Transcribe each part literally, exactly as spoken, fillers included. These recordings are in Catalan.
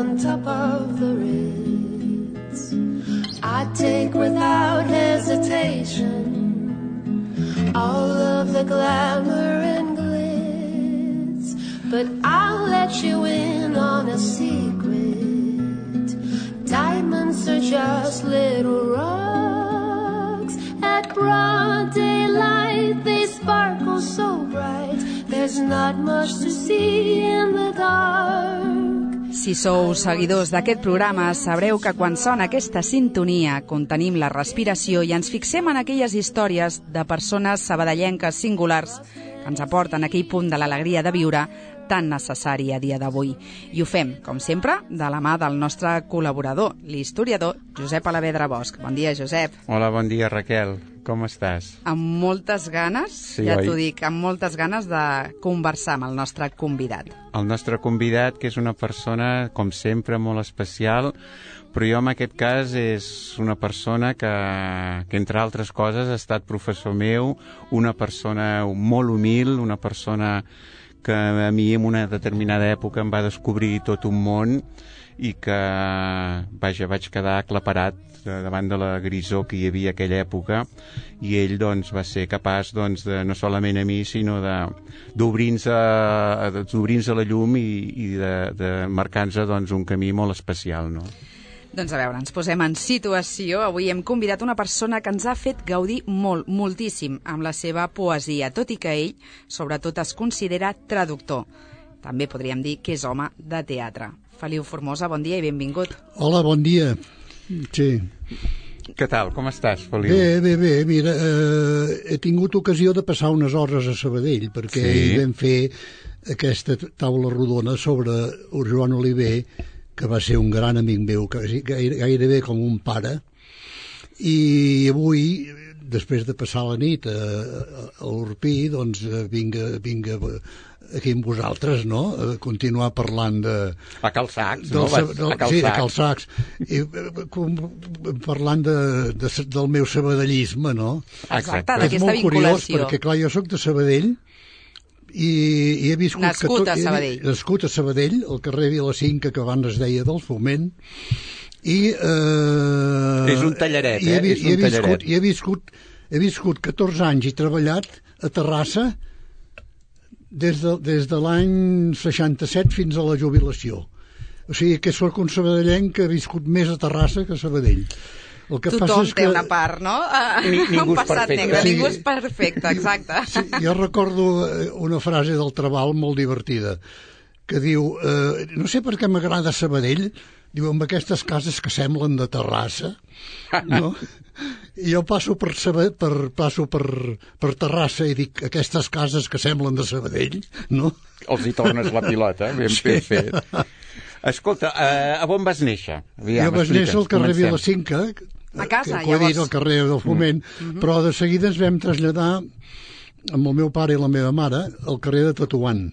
on top of the Ritz. I take without hesitation all of the glamour and glitz, but I'll let you in on a secret. Diamonds are just little rocks. At broad daylight they sparkle so bright. There's not much to see in the dark. Si sou seguidors d'aquest programa, sabreu que quan sona aquesta sintonia contenim la respiració i ens fixem en aquelles històries de persones sabadellenques singulars que ens aporten aquell punt de l'alegria de viure tan necessari a dia d'avui. I ho fem, com sempre, de la mà del nostre col·laborador, l'historiador Josep Alavedra Bosch. Bon dia, Josep. Hola, bon dia, Raquel. Com estàs? Amb moltes ganes, sí, ja oi? t'ho dic, amb moltes ganes de conversar amb el nostre convidat. El nostre convidat, que és una persona, com sempre, molt especial, però jo en aquest cas és una persona que, que entre altres coses, ha estat professor meu, una persona molt humil, una persona que a mi en una determinada època em va descobrir tot un món i que, vaja, vaig quedar aclaparat davant de la grisor que hi havia aquella època, i ell doncs va ser capaç doncs, de, no solament a mi, sinó d'obrir-nos a, d'obrir-nos a la llum i, i de, de marcar-nos doncs, un camí molt especial, no? Doncs a veure, ens posem en situació. Avui hem convidat una persona que ens ha fet gaudir molt, moltíssim amb la seva poesia, tot i que ell, sobretot, es considera traductor. També podríem dir que és home de teatre. Feliu Formosa, bon dia i benvingut. Hola, bon dia. Sí. Què tal? Com estàs, Feliu? Bé, bé, bé. Mira, eh, he tingut ocasió de passar unes hores a Sabadell, perquè sí. Hi vam fer aquesta taula rodona sobre Joan Oliver, que va ser un gran amic meu, gairebé com un pare, i avui, després de passar la nit a, a l'Orpí, doncs vinc, vinc aquí amb vosaltres, no?, a continuar parlant de... A Cal Sacs, del, no? Vas, del, a Cal sí, Sacs. a Cal Sacs. I, com, parlant de, de, del meu sabadellisme, no? Exacte, és d'aquesta molt curiós, vinculació. perquè, clar, jo sóc de Sabadell, i, i he viscut... Nascut que a Sabadell. He, nascut a Sabadell, al carrer Vilacinca, que abans es deia del Foment, i... Eh, és un tallaret, eh? He, és un he viscut, tallaret. I he viscut, he viscut catorze anys i treballat a Terrassa des de, des de l'any seixanta-set fins a la jubilació. O sigui que sóc un sabadellenc que ha viscut més a Terrassa que a Sabadell. El que Tothom passa és que... té una part, no? Ni, ningú un passat és negre, sí. Ningú és perfecte, exacte. Sí, jo recordo una frase del Trabal molt divertida, que diu, eh, no sé per què m'agrada Sabadell, diu, amb aquestes cases que semblen de Terrassa, no? I jo passo per, Sabadell, per, passo per, per Terrassa i dic, aquestes cases que semblen de Sabadell, no? Els hi tornes la pilota, ben sí. fet. Escolta, uh, a on vas néixer? Aviam, jo vaig néixer al carrer Vilacinca, a casa, que, que llavors. al carrer del Foment, mm. però de seguida ens vam traslladar amb el meu pare i la meva mare al carrer de Tetuan,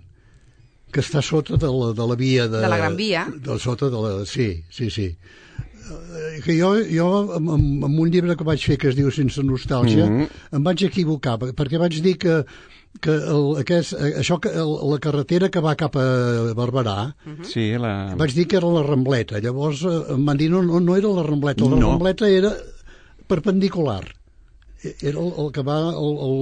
que està sota de la, de la via de, de la Gran Via, de, sota de la, sí, sí, sí. Que jo, jo amb, amb un llibre que vaig fer que es diu Sense nostàlgia, mm-hmm. em vaig equivocar, perquè vaig dir que que el, aquest, això que el, la carretera que va cap a Barberà, uh-huh. sí, la... vaig dir que era la Rambleta. Llavors em van dir no, no, no era la Rambleta, la no. Rambleta era perpendicular. Era el, el que va el, el,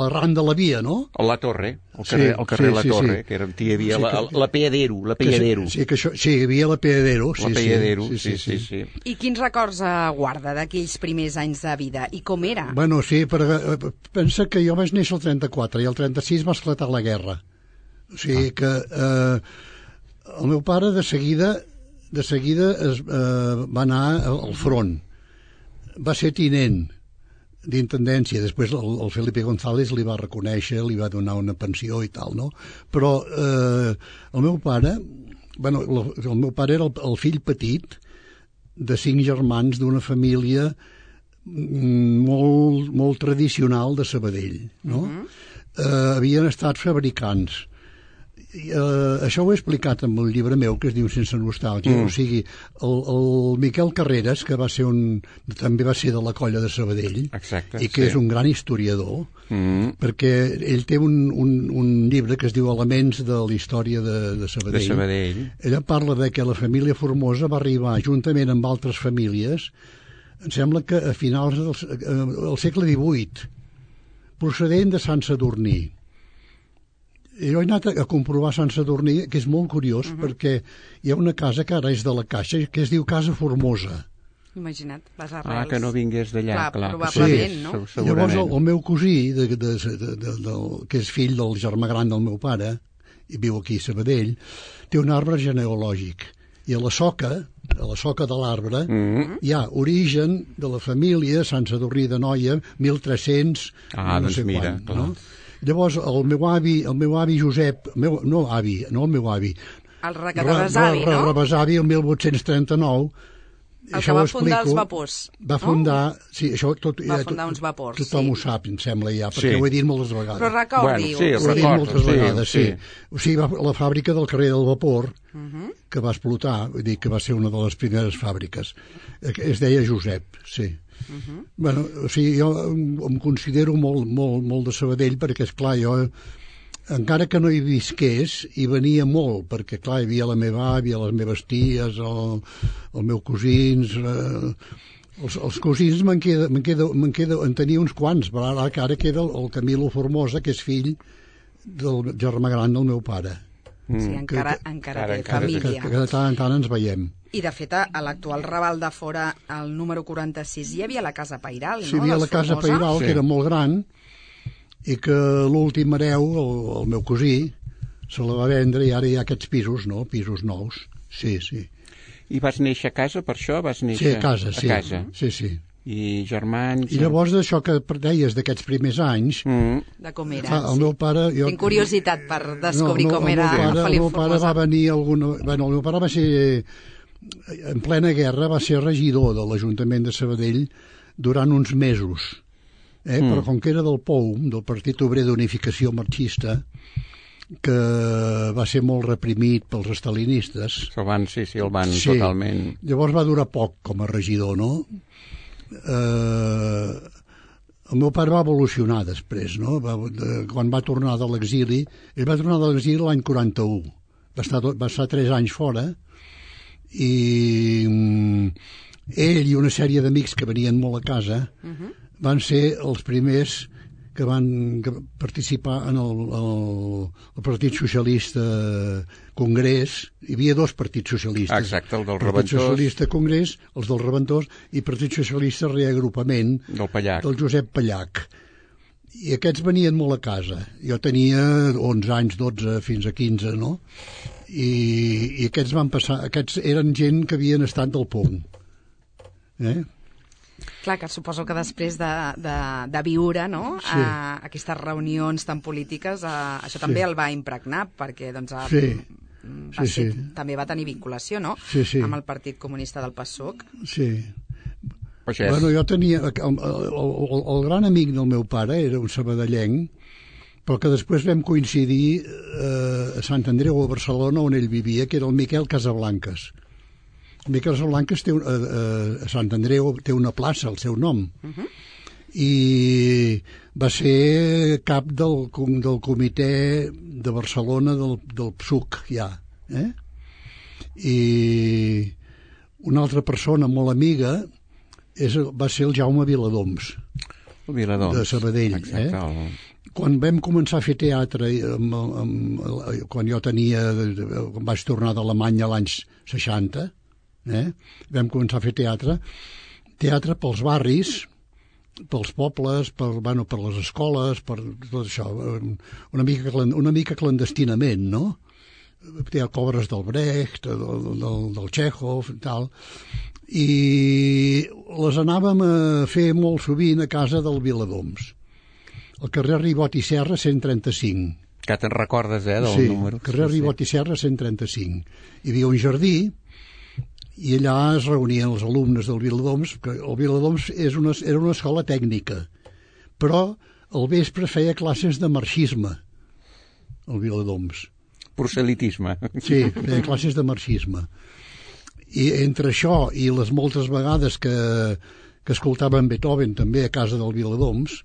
arran de la via, no? La Torre, el carrer, sí, el carrer sí, La sí, Torre, sí. que era, hi havia sí, la, que, la Peadero, la Peadero. Sí, que això, sí, hi havia la Peadero. La sí, Peadero, sí, sí, sí, sí, sí. I quins records eh, guarda d'aquells primers anys de vida? I com era? Bueno, sí, però pensa que jo vaig néixer el trenta-quatre i el trenta-sis va esclatar la guerra. O sigui ah. que eh, el meu pare de seguida, de seguida es, eh, va anar al front. Va ser tinent d'intendència, després el, el Felipe González li va reconèixer, li va donar una pensió i tal, no? Però eh, el meu pare, bueno, el, el meu pare era el, el fill petit de cinc germans d'una família molt, molt tradicional de Sabadell, no? Uh-huh. Eh, havien estat fabricants Uh, això ho he explicat en el llibre meu que es diu Sense nostàlgia, mm. o sigui el, el Miquel Carreras, que va ser un, també va ser de la colla de Sabadell. Exacte, i que sí. és un gran historiador, mm. perquè ell té un, un, un llibre que es diu Elements de la història de, de Sabadell. De Sabadell. Ella parla de que la família Formosa va arribar juntament amb altres famílies, em sembla que a finals del, del segle divuit, procedent de Sant Sadurní. Jo he anat a comprovar Sant Sadurní, que és molt curiós, uh -huh. perquè hi ha una casa que ara és de la Caixa, que es diu Casa Formosa. Imagina't, les arrels. Ah, que no vingués d'allà, clar. Clar, probablement, sí, no? Segurament. Llavors el, el meu cosí, de, de, de, de, de, de, que és fill del germà gran del meu pare, i viu aquí a Sabadell, té un arbre genealògic. I a la soca, a la soca de l'arbre, mm -hmm. hi ha origen de la família Sant Sadurní de Noia, mil tres-cents, ah, no doncs sé mira, quan, clar. No? Llavors, el meu avi, el meu avi Josep, meu, no avi, no el meu avi, el rebesavi, no? El rebesavi, el mil vuit-cents trenta-nou, el que va fundar els vapors. Va fundar, no? sí, això tot, va ja, fundar tot, uns vapors, tothom sí. ho sap, em sembla ja, perquè sí. ho he dit moltes vegades. Però recordi-ho. Bueno, sí, ho he dit recordo, moltes sí, vegades, sí. sí. O sigui, va, la fàbrica del carrer del Vapor, uh -huh. que va explotar, vull dir que va ser una de les primeres fàbriques, es deia Josep, sí. Uh -huh. Bueno, o sigui, jo em considero molt, molt, molt de Sabadell, perquè, esclar, jo, encara que no hi visqués, hi venia molt, perquè, clar, hi havia la meva àvia, les meves ties, el, el meu cosins... Eh, els, els cosins me'n queda, me'n queda, me'n queda, en tenia uns quants, però ara, ara queda el, el Camilo Formosa, que és fill del germà gran del meu pare. Mm. Sí, encara, que, encara que, té que, família. Que, que de tant en tant ens veiem. I, de fet, a l'actual Raval de Fora, el número quaranta-sis, hi havia la Casa Pairal, sí, no? Hi havia la Casa Formosa. Pairal, sí. que era molt gran, i que l'últim hereu, el, el meu cosí, se la va vendre i ara hi ha aquests pisos, no? Pisos nous. Sí, sí. I vas néixer a casa, per això? Vas néixer sí, a casa, sí. A casa. Sí, sí. I germans... I llavors d'això que deies d'aquests primers anys... Mm. De com era, fa, el sí. meu pare... Jo, Tinc curiositat per descobrir no, no, com era el meu pare, Felip el meu pare Formosa. va venir alguna... Bueno, el meu pare va ser... En plena guerra va ser regidor de l'Ajuntament de Sabadell durant uns mesos. Eh? Mm. Però com que era del P O U, del Partit Obrer d'Unificació Marxista, que va ser molt reprimit pels estalinistes. El van, sí, sí, el van sí. totalment... Llavors va durar poc com a regidor, no? Eh, el meu pare va evolucionar després, no? Va, de, quan va tornar de l'exili, ell va tornar de l'exili l'any quaranta-u. Va estar, va estar tres anys fora i mm, ell i una sèrie d'amics que venien molt a casa uh-huh. van ser els primers que van participar en el, el, el Partit Socialista Congrés. Hi havia dos partits socialistes. Exacte, el del Partit Reventós. Socialista Congrés, els del Reventós, i Partit Socialista Reagrupament del Pallac. Del Josep Pallac. I aquests venien molt a casa. Jo tenia onze anys, dotze, fins a quinze, no? I, i aquests van passar... Aquests eren gent que havien estat del P O U. Eh? Clar, que suposo que després de, de, de viure, no?, sí. a, aquestes reunions tan polítiques, a, això també sí. el va impregnar, perquè doncs, a, sí. va sí, ser, sí. també va tenir vinculació, no?, sí, sí. amb el Partit Comunista del PASOK. Sí. Pues és... Bueno, jo tenia... El, el, el, el gran amic del meu pare era un sabadellenc, però que després vam coincidir eh, a Sant Andreu, a Barcelona, on ell vivia, que era el Miquel Casablanques. El Miquel Casablanques té, eh, a Sant Andreu té una plaça al seu nom. Uh-huh. I va ser cap del, del comitè de Barcelona del, del P S U C, ja. Eh? I una altra persona molt amiga és, va ser el Jaume Viladoms, el Viladoms. de Sabadell. Exacte, eh? el... Quan vam començar a fer teatre, amb, amb, amb, quan jo tenia, quan vaig tornar d'Alemanya l'any seixanta, eh? vam començar a fer teatre, teatre pels barris, pels pobles, per, bueno, per les escoles, per tot això, una mica, una mica clandestinament, no? Té obres del Brecht, del, del, del Chekhov, tal, i les anàvem a fer molt sovint a casa del Viladoms, al carrer Ribot i Serra cent trenta-cinc. Que te'n recordes, eh, del sí, número. Carrer sí, Ribot sí. i Serra cent trenta-cinc. Hi havia un jardí i allà es reunien els alumnes del Viladoms, que el Viladoms és una, era una escola tècnica, però al vespre feia classes de marxisme, el Viladoms. proselitisme. Sí, feia classes de marxisme. I entre això i les moltes vegades que, que escoltaven Beethoven també a casa del Viladoms,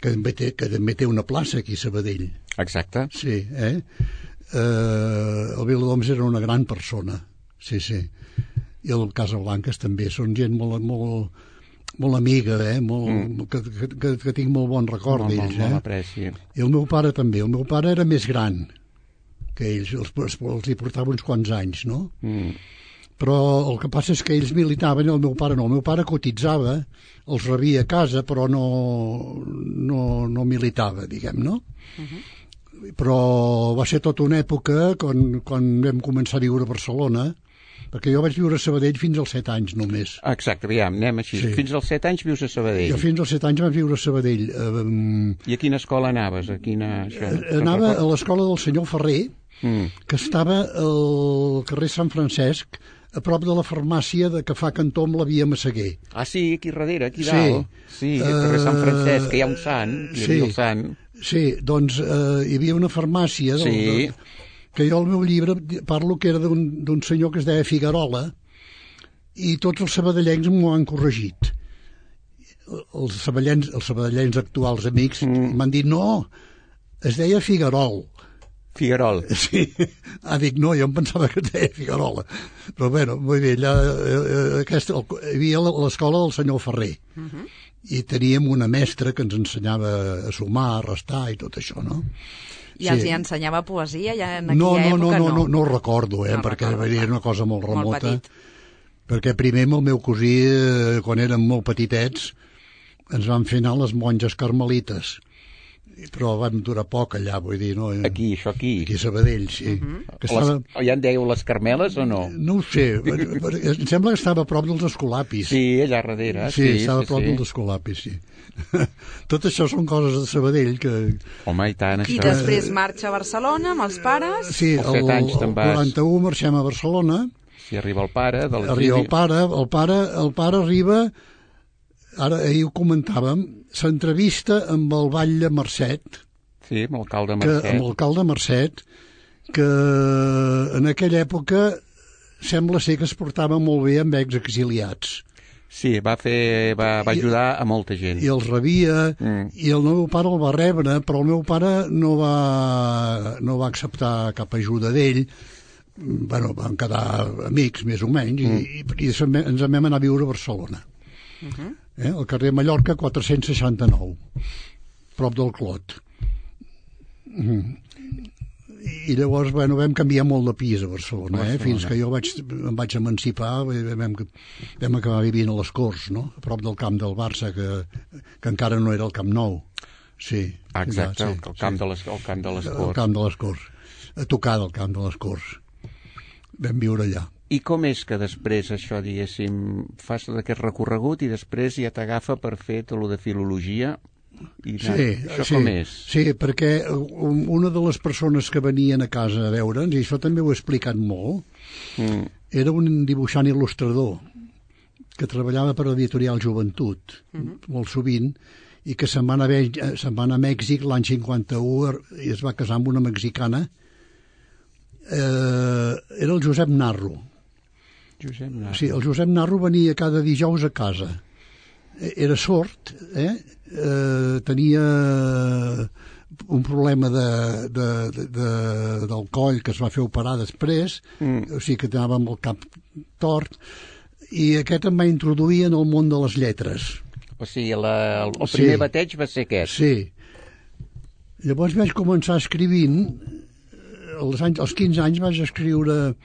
que també té, que també té una plaça aquí a Sabadell. Exacte. Sí, eh? eh el Viladoms era una gran persona, sí, sí. I el Casablanques també, són gent molt, molt, molt amiga, eh? molt, mm. que, que, que tinc molt bon record molt, d'ells. Molt, molt eh? apreci. I el meu pare també, el meu pare era més gran que ells, els, els, els hi portava uns quants anys, no? Mm. Però el que passa és que ells militaven i el meu pare no. El meu pare cotitzava, els rebia a casa, però no, no, no militava, diguem, no? Uh-huh. Però va ser tota una època quan, quan vam començar a viure a Barcelona, perquè jo vaig viure a Sabadell fins als set anys només. Exacte, aviam, anem així. Sí. Fins als set anys vius a Sabadell. Jo fins als set anys vaig viure a Sabadell. Um, I a quina escola anaves? A quina... Això, anava a l'escola del senyor Ferrer, mm. que estava al carrer Sant Francesc, a prop de la farmàcia de que fa cantó amb la via Massaguer. Ah, sí, aquí darrere, aquí sí. dalt. Sí, al carrer Sant Francesc, que hi ha un sant, hi sí. havia el sant. Sí, doncs eh, hi havia una farmàcia del, sí. de, que jo al meu llibre parlo que era d'un senyor que es deia Figuerola i tots els sabadellencs m'ho han corregit. Els sabadellencs, els sabadellencs actuals amics mm. m'han dit no, es deia Figuerol. Figuerol. Sí. Ah, dic, no, jo em pensava que es deia Figuerola. Però bueno, molt bé, allà, eh, aquesta, hi havia l'escola del senyor Ferrer. Uh -huh. I teníem una mestra que ens ensenyava a sumar, a restar i tot això, no? I sí. els hi ensenyava poesia ja en aquella no, no, època? No, no, no, no, no ho recordo, eh, no perquè recordo, era una cosa molt remota. Molt petit. Perquè primer amb el meu cosí, eh, quan érem molt petitets, ens van fer anar les monges carmelites. Però vam durar poc allà, vull dir, no? Aquí, això aquí? Aquí a Sabadell, sí. Uh -huh. que estava... les, ja en dèieu les Carmeles o no? No ho sé, em sembla que estava a prop dels Escolapis. Sí, allà darrere. Sí, sí estava sí, a prop sí. dels Escolapis, sí. Tot això són coses de Sabadell que... Home, i tant, això... I després marxa a Barcelona amb els pares? Sí, el, el, el quaranta-u marxem a Barcelona. Sí, arriba el pare de Arriba el pare, el pare, el pare arriba... Ara, ahir ho comentàvem, s'entrevista amb el batlle Mercet. Sí, amb l'alcalde Mercet. Que, amb l'alcalde Mercet, que en aquella època sembla ser que es portava molt bé amb exexiliats. Sí, va fer, va, va ajudar I, a molta gent. I els rebia, mm. i el meu pare el va rebre, però el meu pare no va, no va acceptar cap ajuda d'ell. Bueno, vam quedar amics, més o menys, mm. i, i, i ens vam anar a viure a Barcelona. Uh -huh. eh, al carrer Mallorca quatre-cents seixanta-nou, prop del Clot. Mm. I llavors, bueno, vam canviar molt de pis a Barcelona, Barcelona. Eh? Fins que jo vaig, em vaig emancipar, vam, vam acabar vivint a les Corts, no? A prop del camp del Barça, que, que encara no era el Camp Nou. Sí. Exacte, ja, sí, el, camp sí. de les, el camp de les Corts. El camp de les Corts. A tocar del camp de les Corts. Vam viure allà. I com és que després això, diguéssim, fas tot aquest recorregut i després ja t'agafa per fer tot el de filologia? I sí, això sí, com és? Sí, perquè una de les persones que venien a casa a veure'ns, i això també ho he explicat molt, mm. era un dibuixant il·lustrador que treballava per l'editorial Joventut, mm-hmm. molt sovint, i que se'n va anar a, se'n va anar a Mèxic l'any cinquanta-u i es va casar amb una mexicana. Eh, era el Josep Narro. Josep Narro. Sí, el Josep Narro venia cada dijous a casa. Era sord, eh? eh tenia un problema de, de, de, de, del coll que es va fer operar després, mm. o sigui que anava amb el cap tort, i aquest em va introduir en el món de les lletres. O sigui, la, el, el primer sí. bateig va ser aquest. Sí. Llavors vaig començar escrivint, als, anys, als quinze anys vaig escriure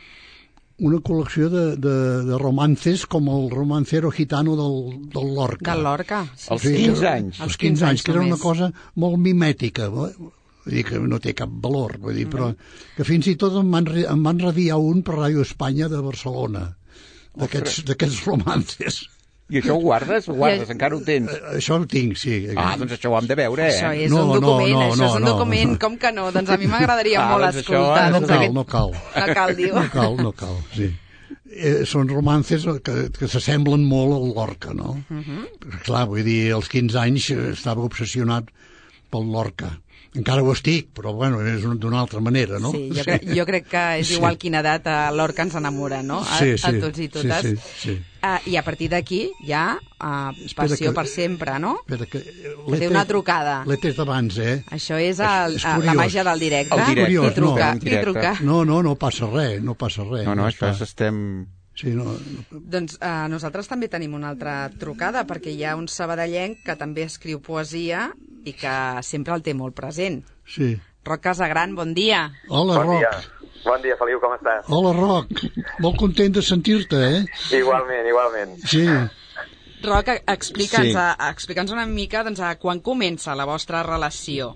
una col·lecció de, de, de romances com el romancero gitano del, del Lorca. Del Lorca. Sí. Als quinze anys. Als quinze anys, que era una cosa molt mimètica, vull dir que no té cap valor, vull dir, però que fins i tot em van, em van radiar un per Ràdio Espanya de Barcelona, d'aquests romances. I això ho guardes? Ho guardes? I... Encara ho tens? Això ho tinc, sí. Ah, doncs això ho hem de veure, eh? Això és no, un document, no, no, això no, és un document, no. Com que no? Doncs a mi m'agradaria ah, molt doncs escoltar. No cal, no cal. No cal, diu. No cal, no cal, sí. Eh, són romances que, que s'assemblen molt al Lorca, no? Uh -huh. Clar, vull dir, als quinze anys estava obsessionat pel Lorca. encara ho estic, però bueno, és d'una altra manera, no? Sí, jo, cre jo crec que és sí. igual quina edat a l'hort que ens enamora, no? A, sí, sí. a tots i totes. Sí, sí, sí. Uh, I a partir d'aquí ja uh, passió que, per sempre, no? Espera, que... Que té una trucada. L'he tret abans, eh? Això és, el, és, és la màgia del directe. El directe, I trucar, no, i trucar. No, no, no passa res, no passa res. No, no, això està... estem... Sí, no, no... Doncs uh, nosaltres també tenim una altra trucada, perquè hi ha un sabadellenc que també escriu poesia i que sempre el té molt present. Sí. Roc Casagran, bon dia. Hola, bon Roc. Dia. Bon dia, Feliu, com estàs? Hola, Roc. Molt content de sentir-te, eh? Igualment, igualment. Sí. Roc, explica'ns Sí. explica una mica doncs, a quan comença la vostra relació.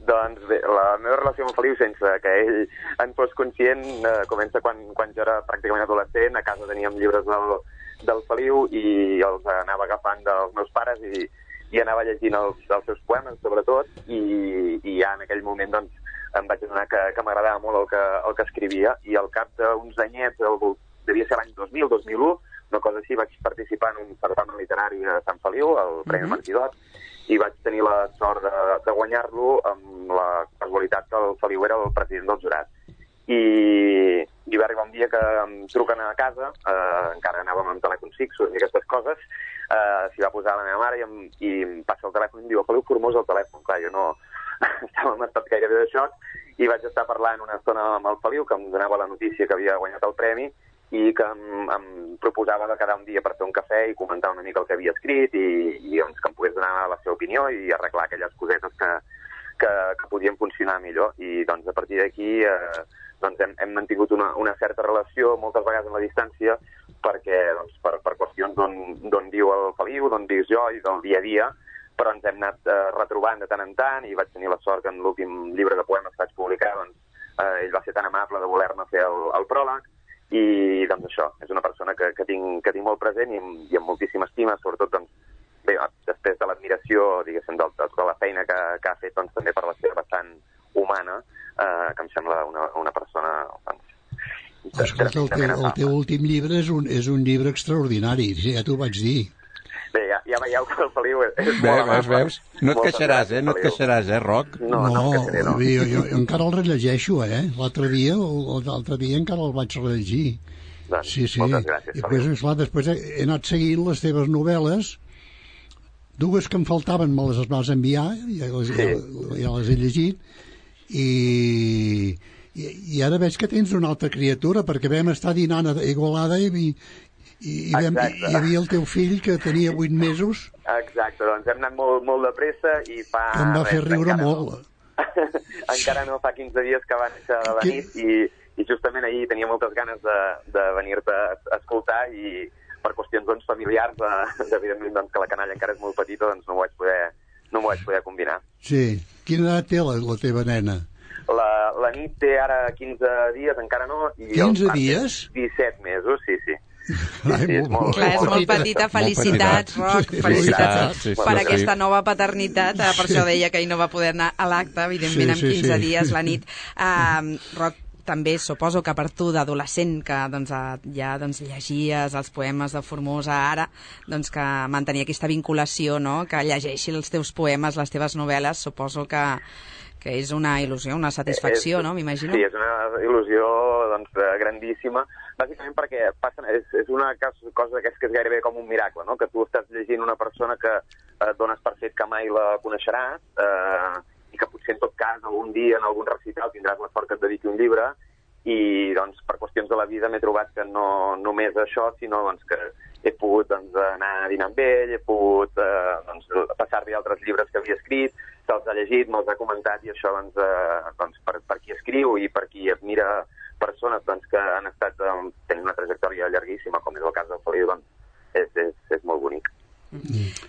Doncs bé, la meva relació amb el Feliu, sense que ell en fos conscient, eh, comença quan, quan jo era pràcticament adolescent. A casa teníem llibres del, del Feliu i els anava agafant dels meus pares i, i anava llegint els, els seus poemes, sobretot, i, i ja en aquell moment doncs, em vaig adonar que, que m'agradava molt el que, el que escrivia, i al cap d'uns anyets, el, devia ser l'any dos mil, dos mil u, una cosa així, vaig participar en un certamen literari a Sant Feliu, el Premi Mhm. Martidot, i vaig tenir la sort de, de guanyar-lo amb la casualitat que el Feliu era el president del jurat. I, i va arribar un dia que em truquen a casa, eh, encara anàvem amb telèfons fixos i aquestes coses, eh, s'hi va posar la meva mare i em, i em passa el telèfon i em diu: Feliu Formós al telèfon. Clar, jo no estava en estat gairebé de xoc, i vaig estar parlant una estona amb el Feliu, que em donava la notícia que havia guanyat el premi i que em, em proposava de quedar un dia per fer un cafè i comentar una mica el que havia escrit i, i doncs, que em pogués donar la seva opinió i arreglar aquelles cosetes que, que, que podien funcionar millor. I doncs a partir d'aquí eh, doncs, hem, hem mantingut una, una certa relació, moltes vegades en la distància, perquè doncs, per, per qüestions d'on viu el Feliu, d'on vius jo i del dia a dia, però ens hem anat eh, retrobant de tant en tant, i vaig tenir la sort que en l'últim llibre de poemes que vaig publicar, doncs, eh, ell va ser tan amable de voler-me fer el, el pròleg, i doncs això, és una persona que, que, tinc, que tinc molt present i, i amb moltíssima estima, sobretot doncs, bé, després de l'admiració, diguéssim, de, de tota la feina que, que ha fet, doncs, també per la seva vessant humana, eh, que em sembla una, una persona... Doncs, Escolta, el teu, el teu últim llibre és un, és un llibre extraordinari, ja t'ho vaig dir. Bé, ja, ja veieu que el Feliu és, és Bé, molt veus, amable. veus? No et Moltes queixaràs, gràcies, eh? No et Feliu. queixaràs, eh, Roc? No, no, no em queixaré, no. jo, jo, jo encara el rellegeixo, eh? L'altre dia, l'altre dia encara el vaig rellegir. Doncs, Sí, sí. moltes gràcies, I després, Feliu. esclar, després he he anat seguint les teves novel·les, dues que em faltaven me les vas enviar, ja les, Sí. ja, ja les he llegit, i, i, i ara veig que tens una altra criatura, perquè vam estar dinant a Igualada i, i, i, vam, i hi havia el teu fill que tenia vuit mesos, Exacte, doncs hem anat molt, molt de pressa i fa... que em va fer res, riure encara molt. No. encara no fa quinze dies que va néixer de la Que- nit i, i justament ahir tenia moltes ganes de, de venir-te a escoltar i per qüestions doncs, familiars, de, evidentment doncs, que la canalla encara és molt petita, doncs no m'ho vaig poder, no m'ho vaig poder combinar. Sí. Quina edat té la, la teva nena? La, la nit té ara quinze dies, encara no. I quinze el part té dies? disset mesos, sí, sí. Ai, sí, és molt- Clar, és molt petita. Felicitats, Roc. Sí, Felicitats sí, sí, per sí. aquesta nova paternitat. Eh, Per això deia que ell no va poder anar a l'acte, evidentment, Sí, en sí, quinze sí. dies la nit. Uh, Roc, també suposo que per tu d'adolescent que doncs, eh, ja doncs, llegies els poemes de Formosa ara, doncs que mantenir aquesta vinculació, no? Que llegeixi els teus poemes, les teves novel·les, suposo que, que és una il·lusió, una satisfacció, És- no? M'imagino. Sí, és una il·lusió doncs, eh, grandíssima, bàsicament perquè passa, és, és una cas- cosa d'aquesta que és gairebé com un miracle, no? Que tu estàs llegint una persona que eh, et dones per fet que mai la coneixeràs, eh, i que potser en tot cas algun dia en algun recital tindràs la sort que et dediqui un llibre, i doncs per qüestions de la vida m'he trobat que no només això, sinó doncs, que he pogut doncs, anar a dinar amb ell, he pogut eh, doncs, passar-li altres llibres que havia escrit, se'ls ha llegit, me'ls ha comentat, i això doncs, eh, doncs, per, per qui escriu i per qui admira persones doncs, que han estat eh, tenint una trajectòria llarguíssima, com és el cas del Feliu, doncs és, és, és molt bonic.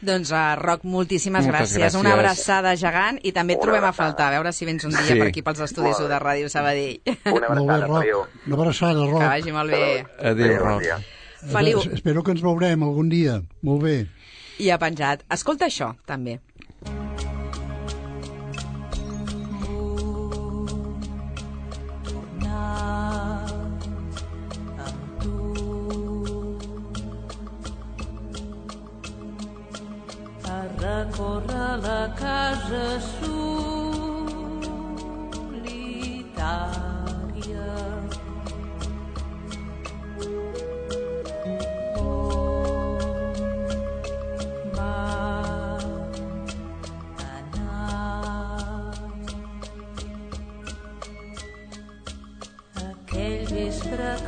Doncs, uh, Roc, moltíssimes Moltes gràcies. gràcies. Una abraçada gegant i també et Una trobem a abraçada. faltar. A veure si vens un dia Sí. per aquí pels estudis Molt bé. de Ràdio Sabadell. Una Molt bé, abraçada, Roc. Feliu. Una abraçada, Que Roc. vagi molt bé. Adéu, bon Roc. dia. Feliu. Es- Espero que ens veurem algun dia. Molt bé. I ha penjat. Escolta això, també. A recórrer la casa sud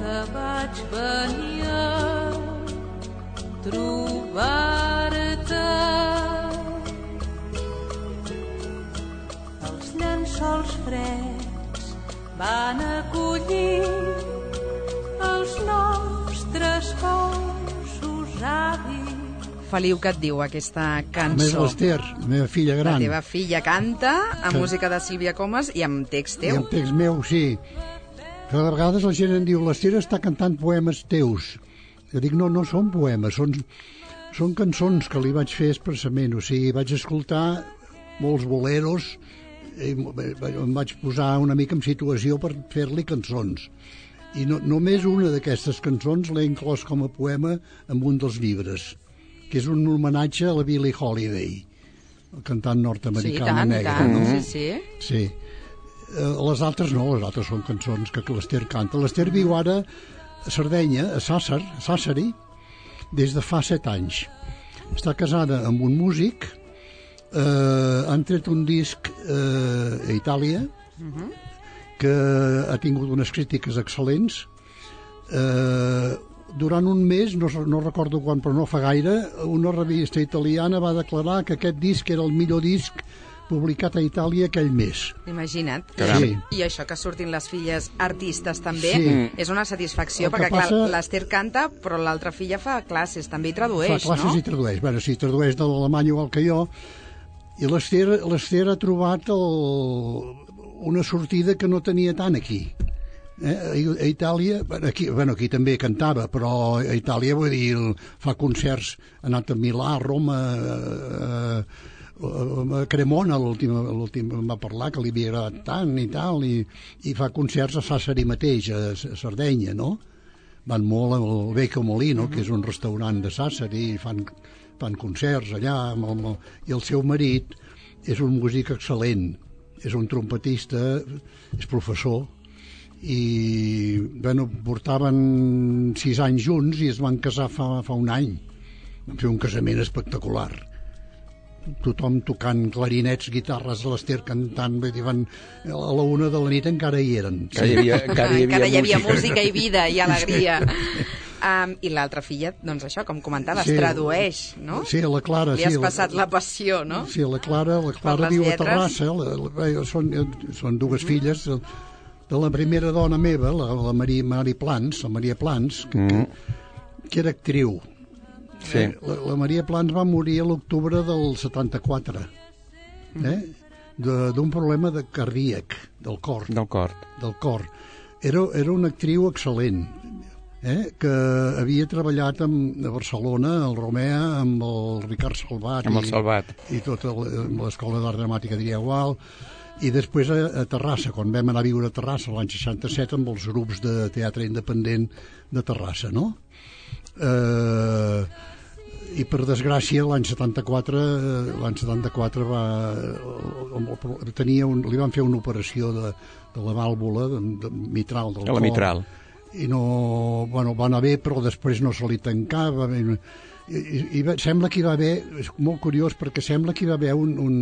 que vaig venir a trobar-te. Els llençols freds van acollir els nostres cossos avis. Feliu, què et diu aquesta Més cançó? l'Ester, la meva filla La gran. teva filla canta amb Que- música de Sílvia Comas i amb text I teu. el text meu, sí. Que de vegades la gent em diu, l'Ester està cantant poemes teus. Jo dic, no, no són poemes, són, són cançons que li vaig fer expressament. O sigui, vaig escoltar molts boleros i em vaig posar una mica en situació per fer-li cançons. I no, només una d'aquestes cançons l'he inclòs com a poema en un dels llibres, que és un homenatge a la Billie Holiday, el cantant Sí, nord-americana tant, negra. tant, no? sí, sí. Sí. Eh, les altres no, les altres són cançons que l'Ester canta. L'Ester viu ara a Sardenya, a Sàsser, a Sàsseri, des de fa set anys. Està casada amb un músic, eh, han tret un disc eh, a Itàlia, que ha tingut unes crítiques excel·lents. Eh, durant un mes, no, no recordo quan, però no fa gaire, una revista italiana va declarar que aquest disc era el millor disc publicat a Itàlia aquell mes. Imagina't. Caram. I, I això que surtin les filles artistes també Sí. és una satisfacció, El que perquè clar, passa- l'Ester canta, però l'altra filla fa classes, també i tradueix, Fa classes no? i tradueix. Bueno, sí, tradueix de l'alemany igual que jo. I l'Ester l'Ester ha trobat el, una sortida que no tenia tant aquí. Eh? A, a Itàlia, bueno, aquí, bueno, aquí també cantava, però a Itàlia, vull dir, fa concerts, ha anat a Milà, a Roma, a, a, a Cremona, l'últim l'últim em va parlar, que li havia agradat tant i tal, i, i fa concerts a Sàsseri mateix, a, a Sardenya, no? Van molt al Vecchio Molino, que és un restaurant de Sàsseri, i fan, fan concerts allà, amb el, amb el, i el seu marit és un músic excel·lent, és un trompetista, és professor, i bueno, portaven sis anys junts i es van casar fa, fa un any. Van fer un casament espectacular. Tothom tocant clarinets, guitarres, l'Ester cantant, vull dir, van, a la una de la nit encara hi eren. Encara hi havia, encara hi havia, Encara hi havia música. música i vida i alegria. Um, I l'altra filla, doncs això, com comentaves, Sí. tradueix, no? Sí, la Clara, Li sí. has la- passat la passió, no? Sí, la Clara, la Clara les viu a lletres. Terrassa, la, la, són, són dues filles de, de la primera dona meva, la, la Maria, Mari Plans, la Maria Plans, que, Mm. que, que era actriu. Sí. Eh, la, la Maria Plans va morir a l'octubre del setanta-quatre, eh? De- d'un problema de cardíac, del cor. Del cor. del cor. Era, era una actriu excel·lent, eh? Que havia treballat amb, a Barcelona, al Romea, amb el Ricard Salvat, Amb el i, Salvat. i tota el- amb l'Escola d'Art Dramàtica diria igual, i després a, a Terrassa, quan vam anar a viure a Terrassa l'any seixanta-set amb els grups de teatre independent de Terrassa, no? Eh, i per desgràcia l'any setanta-quatre eh, l'any setanta-quatre va eh, tenia un, li van fer una operació de, de la vàlvula de, de mitral del A la cor, mitral. i no, bueno, va anar bé, però després no se li tancava, i, i, i va, sembla que hi va haver, és molt curiós perquè sembla que hi va haver un, un,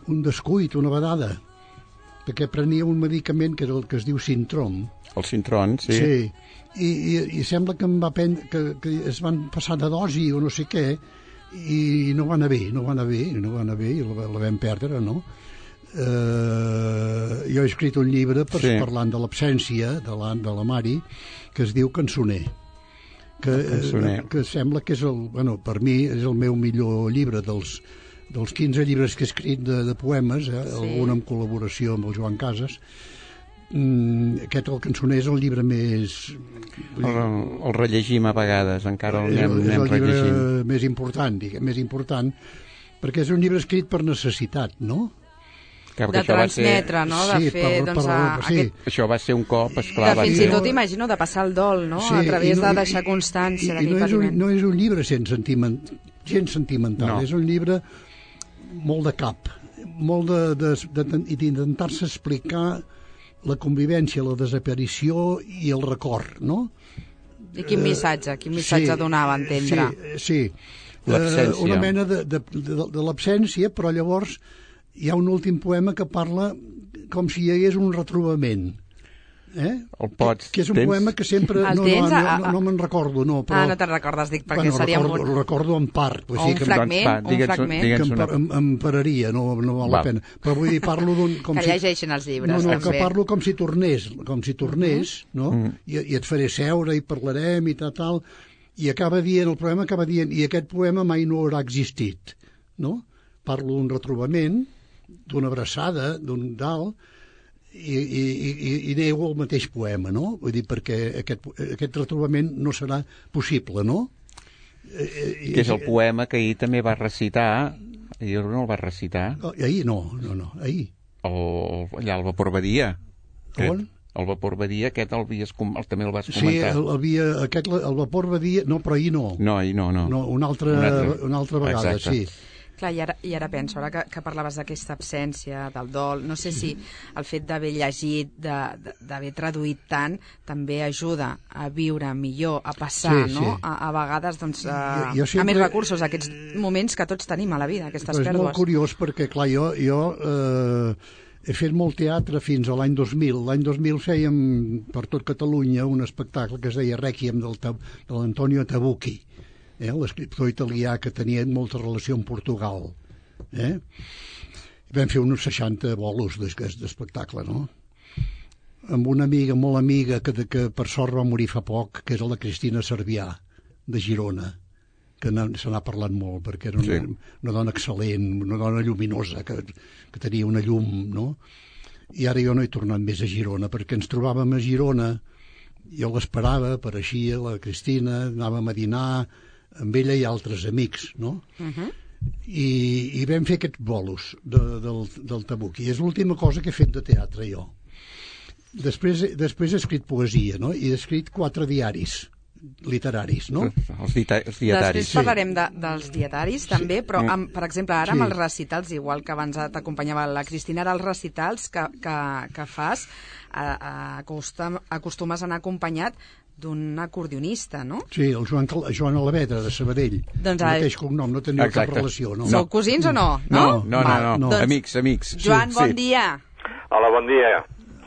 un descuit, una vedada, perquè prenia un medicament que, era el que es diu Sintrom. El Sintron, sí. Sí. I, i, i sembla que, em va prendre, que, que es van passar de dosi o no sé què, i no va anar bé, no va anar bé, no va anar bé, i la, la vam perdre, no? Eh, jo he escrit un llibre per, Sí. parlant de l'absència de la, de la Mari, que es diu Cançoner, que, Cançoner. eh, que sembla que és el, bueno, per mi és el meu millor llibre dels, dels quinze llibres que he escrit de, de poemes, eh, Sí. algun en col·laboració amb el Joan Casas. Mm, aquest, el Cançoner, és el llibre més... El, el rellegim a vegades, encara el és, anem, el- és anem el llibre rellegint. més important, diguem, més important, perquè és un llibre escrit per necessitat, no? Que, De això va ser, transmetre, no? De Sí, fer, per- doncs, per- a, sí. aquest... això va ser un cop, esclar, De va fins ser... i tot, imagino, de passar el dol, no? Sí, A través i no- de deixar i- constància i- i d'aquell no és, un, patiment. no és un llibre sense sentiment, gens sentimental, No. és un llibre molt de cap, molt de, de, de, i d'intentar-se explicar la convivència, la desaparició i el record, no? I quin missatge, quin missatge donava a entendre? Sí, sí. L'absència. Eh, una mena de, de, de, de l'absència, però llavors hi ha un últim poema que parla com si hi hagués un retrobament. Eh? El pots. Que és un tens? poema que sempre... El No, tens? no, A- no, a- no me'n recordo, no, però... Ah, no te'n recordes, dic, perquè bueno, seria recordo, molt... recordo en part. Vull O dir un que, fragment, va, un digue'ns un- fragment. digue'ns que em, una- par- em, em pararia, no, no val la Val. pena. Però vull dir, parlo d'un... Com Que si, llegeixin els llibres, no, no, també. que parlo com si tornés, com si tornés, no? Mm. I, I et faré seure i parlarem i tal, tal. I acaba dient, el poema acaba dient, i aquest poema mai no haurà existit, no? Parlo d'un retrobament, d'una abraçada, d'un dalt, i, i, i, i nego el mateix poema, no? Vull dir, perquè aquest, aquest retrobament no serà possible, no? Que és el poema que ahir també va recitar, ahir no el va recitar, Oh, ahir no, no, no, ahir. el, allà al Vapor Badia. On? El Vapor Badia, aquest el, havies, com- el també el vas Sí, comentar. el, havia, aquest, el vapor Badia... No, però ahir no. No, ahir no, no. No, una altra, Un altre. una altra vegada, Exacte. sí. Clar, i ara, i ara penso, ara que, que parlaves d'aquesta absència, del dol, no sé si el fet d'haver llegit, de- de- d'haver traduït tant, també ajuda a viure millor, a passar, Sí, no? sí. A, a vegades, doncs, a, Jo- jo sempre- a més recursos, a aquests moments que tots tenim a la vida, aquestes Però és molt pèrdues. curiós perquè, clar, jo, jo eh, he fet molt teatre fins a l'any dos mil. L'any dos mil fèiem per tot Catalunya un espectacle que es deia Rèquiem del Ta- de l'Antonio Tabucchi, eh, l'escriptor italià que tenia molta relació amb Portugal. Eh? Vam fer uns seixanta bolos d'es- d'espectacle, no? Amb una amiga, molt amiga, que, que per sort va morir fa poc, que era la Cristina Cervià, de Girona, que n'ha- se n'ha parlat molt, perquè era una, Sí. una dona excel·lent, una dona lluminosa, que, que tenia una llum, no? I ara jo no he tornat més a Girona, perquè ens trobàvem a Girona, jo l'esperava, apareixia la Cristina, anàvem a dinar amb ella i altres amics, no? Uh-huh. I, i vam fer aquests bolos de, del, del Tabucchi. És l'última cosa que he fet de teatre, jo. Després, després he escrit poesia, no? I he escrit quatre diaris literaris, no? Els, dita els dietaris. Després parlarem de, dels dietaris, també, però, amb, per exemple, ara Sí. amb els recitals, igual que abans t'acompanyava la Cristina, ara els recitals que, que, que fas, a, a, acostum, acostumes a anar acompanyat d'un acordionista, no? Sí, el Joan, Cal- Joan Alavedra, de Sabadell. Doncs, el ai- mateix cognom, no teniu cap Exacte. relació, no? Sou cosins o no? No, no, no, Val, no. no. Doncs, Amics, amics. Joan, Sí, bon sí. dia. Hola, bon dia.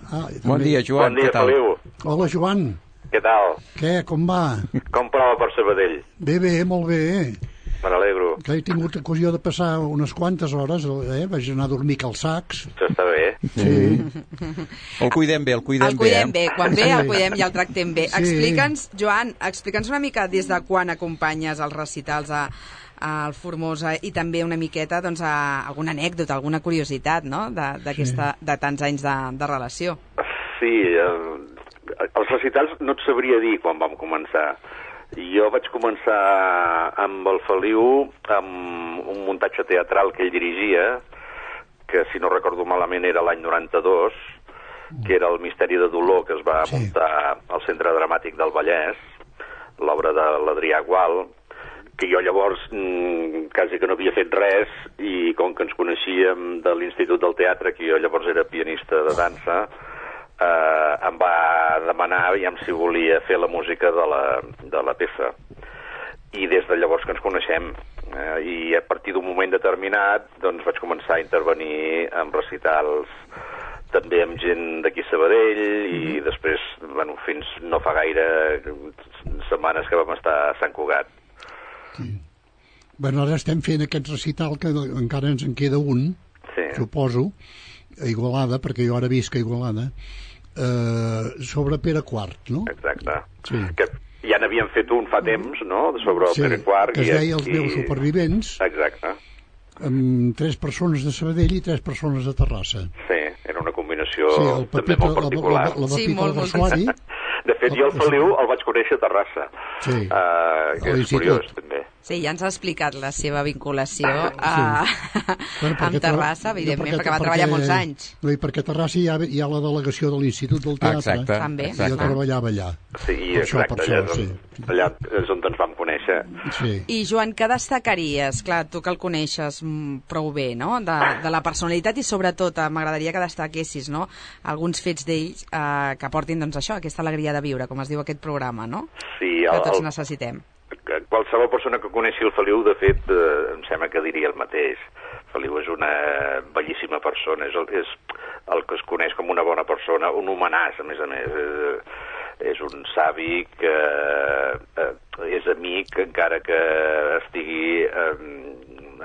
Ah, Bon també. dia, Joan. Bon dia, què tal? Feliu. Hola, Joan. Què tal? Què, com va? Com prova per Sabadell? Bé, bé, molt bé. Me n'alegro. Que he tingut ocasió de passar unes quantes hores, eh? Vaig anar a dormir a Calçacs. Això està bé. Sí. El cuidem bé, el cuidem, El cuidem bé. bé, quan ve Sí. el cuidem i el tractem bé. Sí. Explica'ns, Joan, explica'ns una mica des de quan acompanyes els recitals a, al Formosa i també una miqueta doncs, a alguna anècdota, alguna curiositat, no?, de, d'aquesta, de tants anys de, de relació. Sí, eh, els recitals no et sabria dir quan vam començar. Jo vaig començar amb el Feliu amb un muntatge teatral que ell dirigia, que si no recordo malament era l'any noranta-dos, que era el Misteri de Dolor, que es va Sí. muntar al Centre Dramàtic del Vallès, l'obra de l'Adrià Gual, que jo llavors mm, quasi que no havia fet res, i com que ens coneixíem de l'Institut del Teatre, que jo llavors era pianista de dansa, eh, em va demanar aviam si volia fer la música de la, de la peça. I des de llavors que ens coneixem, eh, i a partir d'un moment determinat doncs vaig començar a intervenir en recitals també amb gent d'aquí a Sabadell, i després, bueno, fins no fa gaire setmanes que vam estar a Sant Cugat. Bueno, ara estem fent aquest recital, que encara ens en queda un, Sí. suposo, a Igualada, perquè jo ara visc a Igualada, eh, sobre Pere quart, no? Exacte. Sí. Que ja n'havíem fet un fa temps, no?, sobre el Sí, Pere quart. que es i deia Els aquí- meus supervivents, Exacte. amb tres persones de Sabadell i tres persones de Terrassa. Sí, era una combinació Sí, el també Pepito, molt la, particular. la, la, la Sí, Pepita molt, molt Garçuari. De fet, jo el Feliu el vaig conèixer a Terrassa, Sí, uh, que a és l'institut. curiós, també. Sí, ja ens ha explicat la seva vinculació a, Bueno, amb perquè Terrassa, tra- evidentment, perquè- perquè va treballar perquè- molts anys. No, i perquè a Terrassa hi ha, hi ha la delegació de l'Institut del Teatre. Exacte, També. I jo exacte. treballava allà. Sí, Per això, exacte, per allà, això, és sí. on, allà és on ens vam conèixer. Sí. I, Joan, què destacaries? Clar, tu que el coneixes mm, prou bé, no?, de, de la personalitat, i sobretot eh, m'agradaria que destaquessis, no?, alguns fets d'ells eh, que portin, doncs, això, aquesta alegria de viure, com es diu aquest programa, no?, Sí, que el, tots el, necessitem. quan qualsevol persona que coneixi el Feliu, de fet, eh, em sembla que diria el mateix. Feliu és una bellíssima persona, és el, és el que es coneix com una bona persona, un homenàs, a més a més. És, és un savi que eh, és amic, encara que estigui eh,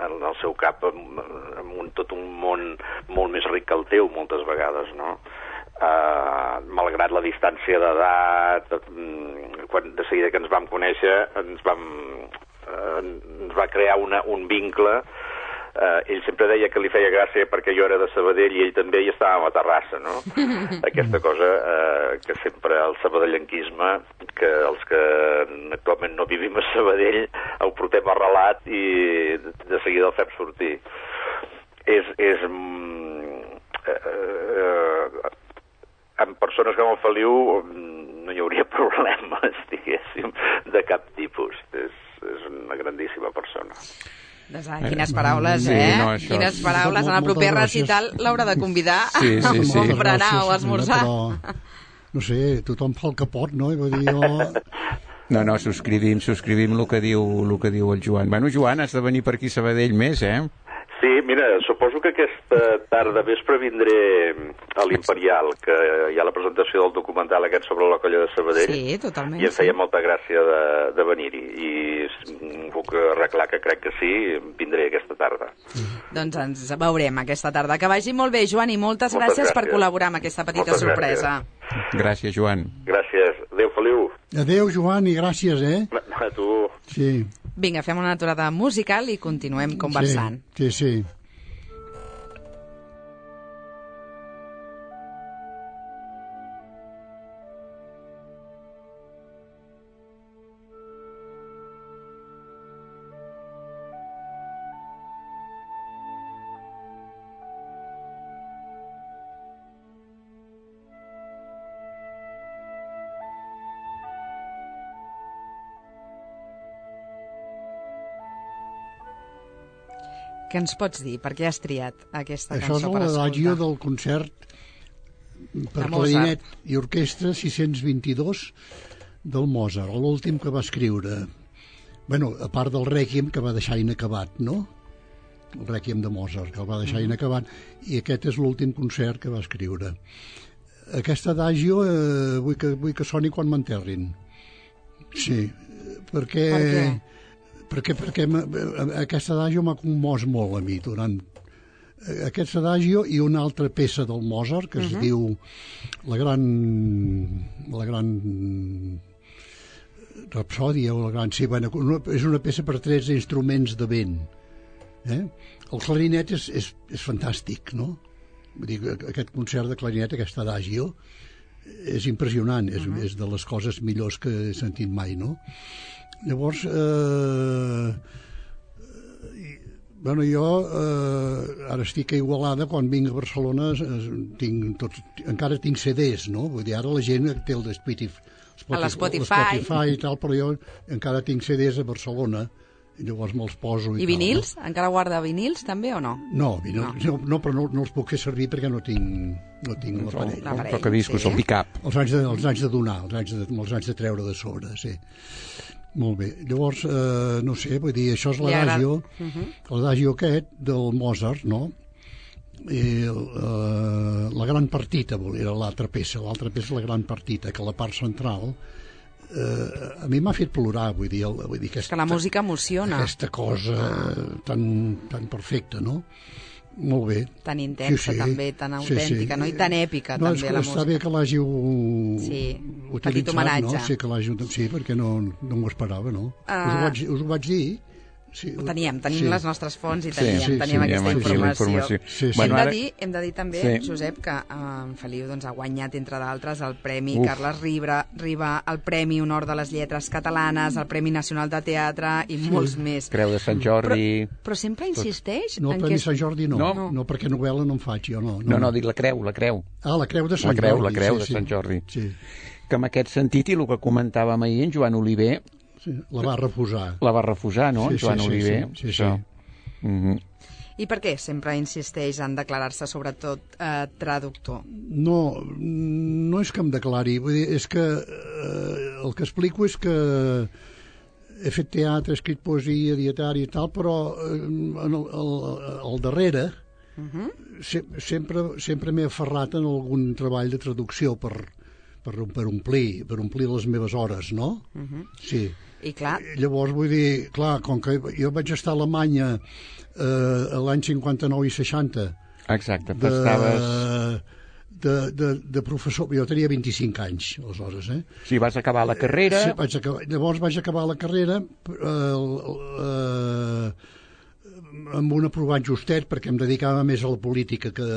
en el seu cap amb, amb un, tot un món molt més ric que el teu, moltes vegades, no? Uh, malgrat la distància d'edat, quan de seguida que ens vam conèixer ens vam uh, ens va crear una, un vincle. Uh, ell sempre deia que li feia gràcia perquè jo era de Sabadell i ell també, i estàvem a Terrassa, no? Aquesta cosa uh, que sempre el sabadellenquisme, que els que actualment no vivim a Sabadell ho portem arrelat i de seguida el fem sortir. És... és uh, uh, amb persones com el Feliu no hi hauria problemes, diguéssim, de cap tipus. És, és una grandíssima persona. Doncs, ah, quines paraules, sí, eh? no, això... Quines paraules. En el proper recital l'haurà de convidar sí, sí, sí. a berenar o a esmorzar. Però, no sé, tothom fa el que pot, no? I vull dir, jo... No, no, subscrivim, subscrivim el que diu, el que diu el Joan. Bueno, Joan, has de venir per aquí a Sabadell més, eh? Sí, mira, suposo que aquesta tarda vespre vindré a l'Imperial, que hi ha la presentació del documental aquest sobre la colla de Sabadell. Sí, totalment. I em feia sí. molta gràcia de, de venir-hi. I puc arreglar que crec que sí, vindré aquesta tarda. Doncs ens veurem aquesta tarda. Que vagi molt bé, Joan, i moltes, moltes gràcies, gràcies per col·laborar amb aquesta petita moltes sorpresa. Gràcies. Gràcies, Joan. Gràcies. Adéu, Feliu. Adéu, Joan, i gràcies, eh? A tu. Sí. Vinga, fem una aturada musical i continuem conversant. Sí, sí, sí. Què ens pots dir? Per què has triat aquesta Això cançó per escoltar? Això és l'adagio del concert per clarinet i orquestra sis cents vint-i-dos del Mozart, l'últim que va escriure. Bueno, a part del Rèquiem, que va deixar inacabat, no? El Rèquiem de Mozart, que el va deixar mm. inacabat, i aquest és l'últim concert que va escriure. Aquest adagio eh, vull, que, vull que soni quan m'enterrin. Sí, perquè... Per què? perquè, perquè aquest adagio m'ha commós molt a mi durant aquest adagio i una altra peça del Mozart que es uh-huh. diu la gran la gran rapsòdia o la gran... Sí, bueno, és una peça per tretze instruments de vent. Eh? El clarinet és, és, és fantàstic, no? Vull dir, aquest concert de clarinet, aquest adagio, és impressionant, és, uh-huh. és de les coses millors que he sentit mai, no? Llavors, eh, bueno, jo eh, ara estic a Igualada, quan vinc a Barcelona eh, tinc tots, encara tinc C Ds, no? Vull dir, ara la gent té el de Spotify, a l'Spotify Spotify i tal, però jo encara tinc C Ds a Barcelona i llavors me'ls poso i, I vinils? Tal, no? Encara guarda vinils també o no? No, vinils, no. no, no però no, no els puc fer servir perquè no tinc, no tinc l'aparell. El tocadiscos, sí. El pick-up. Els anys de, els anys de donar, els anys de, els anys de treure de sobre, sí. Molt bé. Llavors, eh, no sé, vull dir, això és l'adagio, uh-huh. l'adagio aquest del Mozart, no? I eh, la gran partita, era l'altra peça, l'altra peça la gran partita, que la part central eh, a mi m'ha fet plorar, vull dir, el, vull dir aquesta, que la música emociona. Aquesta cosa tan, tan perfecta, no? Molt bé. Tan intensa, sí, sí. també, tan autèntica, sí, sí. no? I tan èpica, no, també, la música. Està bé que l'hàgiu sí, utilitzat, petit homenatge. No? Sí, que l'hàgiu... sí, perquè no, no m'ho esperava, no? Uh... Us, ho vaig, us ho vaig dir. Sí, ho teníem, tenim sí. les nostres fonts i teníem, sí, sí, teníem sí, aquesta sí, informació. informació. Sí, sí. Bueno, hem, ara... de dir, hem de dir també, sí. Josep, que eh, en Feliu doncs, ha guanyat, entre d'altres, el Premi Uf. Carles Riba, Riba, el Premi Honor de les Lletres Catalanes, el Premi Nacional de Teatre i sí. molts més. Creu de Sant Jordi... Però, però sempre insisteix... No, el en Premi que... Sant Jordi no. No? no, no, perquè novel·la no en faig jo, no. No, no, no dic la creu, la creu. Ah, la creu de Sant la creu, Jordi. La creu sí, de Sant Jordi. Sí. Que en aquest sentit, i el que comentàvem ahir, en Joan Oliver... Sí, la va refusar. La va refusar, no, sí, en Joan sí, Oliver? Sí, sí, sí. sí. Mm-hmm. I per què sempre insisteix en declarar-se sobretot eh, traductor? No, no és que em declari, vull dir, és que eh, el que explico és que he fet teatre, he escrit poesia, dietari i tal, però eh, en el, el, el darrere uh -huh. se, sempre, sempre m'he aferrat en algun treball de traducció per, per, per, omplir, per omplir les meves hores, no? Uh -huh. Sí. I clar... Llavors, vull dir, clar, com que jo vaig estar a Alemanya eh, l'any cinquanta-nou i seixanta... Exacte, de, estaves... De, de, de professor, jo tenia vint-i-cinc anys, aleshores, eh? Sí, vas acabar la carrera... Sí, vaig acabar, llavors vaig acabar la carrera eh, eh, amb un aprovat justet, perquè em dedicava més a la política que,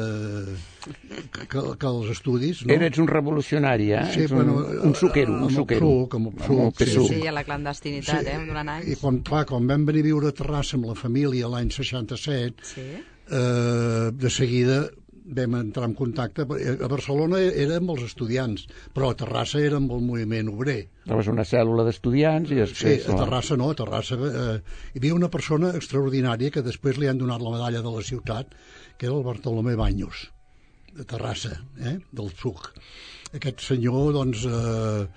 que, que als estudis, no? Eres un revolucionari, eh? Sí, un, bueno, un suquero, un suquero. Amb el PSUC, sí, sí, sí, a la clandestinitat, sí, eh, durant anys. I quan, clar, quan vam venir a viure a Terrassa amb la família l'any seixanta-set, sí. eh, de seguida vam entrar en contacte. A Barcelona era amb els estudiants, però a Terrassa era amb el moviment obrer. Estaves una cèl·lula d'estudiants i després... Sí, a Terrassa no, a Terrassa eh, hi havia una persona extraordinària que després li han donat la medalla de la ciutat, que era el Bartolomé Baños, de Terrassa, eh, del PSUC. Aquest senyor, doncs, eh,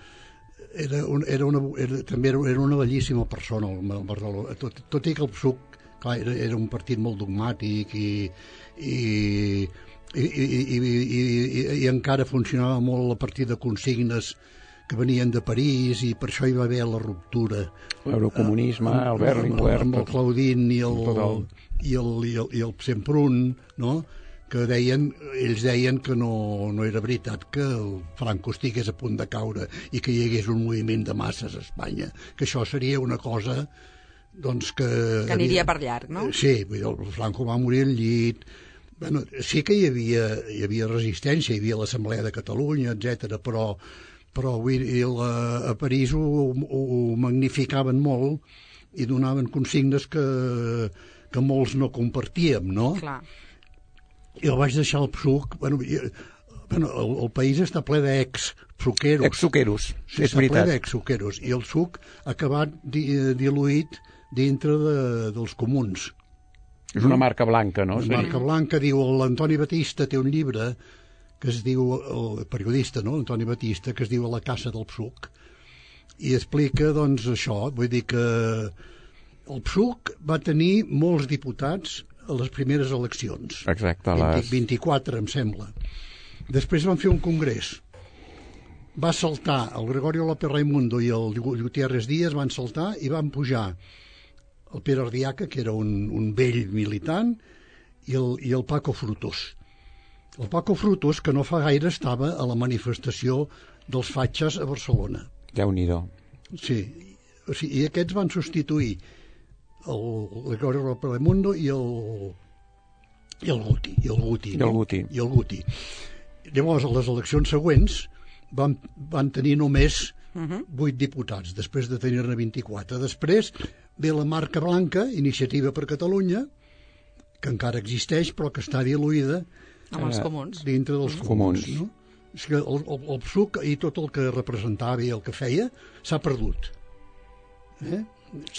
era, un, era, una, era també era, era una bellíssima persona, el Bartolomé, tot, tot i que el PSUC, clar, era, era un partit molt dogmàtic i... i I, i, i, i, i, i encara funcionava molt a partir de consignes que venien de París, i per això hi va haver la ruptura. L'eurocomunisme, uh, el Berlinguer... Amb el Claudín i el, i el, i el, i el Semprún, no?, que deien, ells deien que no, no era veritat que el Franco estigués a punt de caure i que hi hagués un moviment de masses a Espanya, que això seria una cosa, doncs, que... Que aniria per llarg, no? Sí, vull dir, el Franco va morir al llit. Bueno, sí que hi havia, hi havia resistència, hi havia l'Assemblea de Catalunya, etcètera, però, però vull dir, la, a París ho, ho, ho magnificaven molt i donaven consignes que, que molts no compartíem, no? Clar. I el vaig deixar al PSUC. Bueno, i, bueno, el, el país està ple d'ex-suqueros. Ex-suqueros, sí, és veritat. Està ple d'ex-suqueros. I el PSUC ha acabat di, diluït dintre de, dels comuns. És una marca blanca, no? Una Sí. marca blanca, diu, l'Antoni Batista té un llibre que es diu, el periodista, no?, Antoni Batista, que es diu La caça del PSUC, i explica, doncs, això, vull dir que el PSUC va tenir molts diputats a les primeres eleccions. Exacte, les... vint-i-quatre, em sembla. Després van fer un congrés. Va saltar el Gregorio López Raimundo i el Gutiérrez Díaz, van saltar i van pujar el Pere Ardiaca, que era un, un vell militant, i el, i el Paco Frutos. El Paco Frutos, que no fa gaire estava a la manifestació dels fatxes a Barcelona. Déu-n'hi-do. Sí, o sigui, i aquests van substituir el Gregorio López Raimundo i el, i el Guti. I el Guti. I el Guti. I el Guti. Llavors, a les eleccions següents van, van tenir només vuit diputats, després de tenir-ne vint-i-quatre. Després ve la marca blanca, Iniciativa per Catalunya, que encara existeix, però que està diluïda amb els comuns. Dintre dels els comuns. comuns. No? És que el, el, el PSUC i tot el que representava i el que feia s'ha perdut. Eh?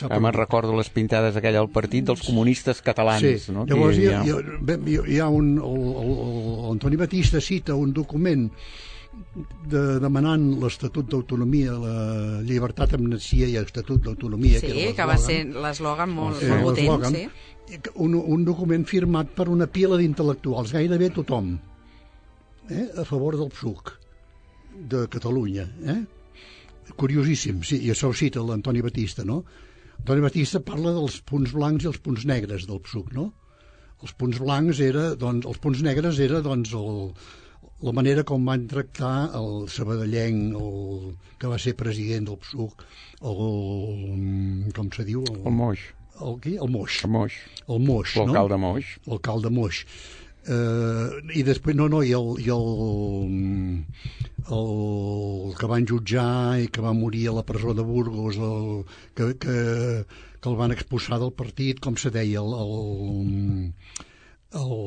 Ah, me'n recordo les pintades aquella al partit dels comunistes catalans. Sí, no? Llavors hi ha, hi, ha, hi ha un... L'Antoni Batista cita un document de, demanant l'Estatut d'Autonomia, la llibertat, amnistia i Estatut d'Autonomia. Sí, que, que va ser l'eslògan molt, eh, molt potent, sí. Un, un document firmat per una pila d'intel·lectuals, gairebé tothom, eh, a favor del PSUC de Catalunya. Eh? Curiosíssim, sí, i això ho cita l'Antoni Batista, no? Antoni Batista parla dels punts blancs i els punts negres del PSUC, no? Els punts blancs era, doncs, els punts negres era, doncs, el, la manera com van tractar el sabadellenc, el, que va ser president del PSUC, el, com se diu? El, el Moix. El, qui? El Moix. El Moix. El Moix, no? L'alcalde Moix. L'alcalde Moix. Uh, i després, no, no, i el, i el, el que van jutjar i que va morir a la presó de Burgos, el, que, que, que el van expulsar del partit, com se deia, el, el, el,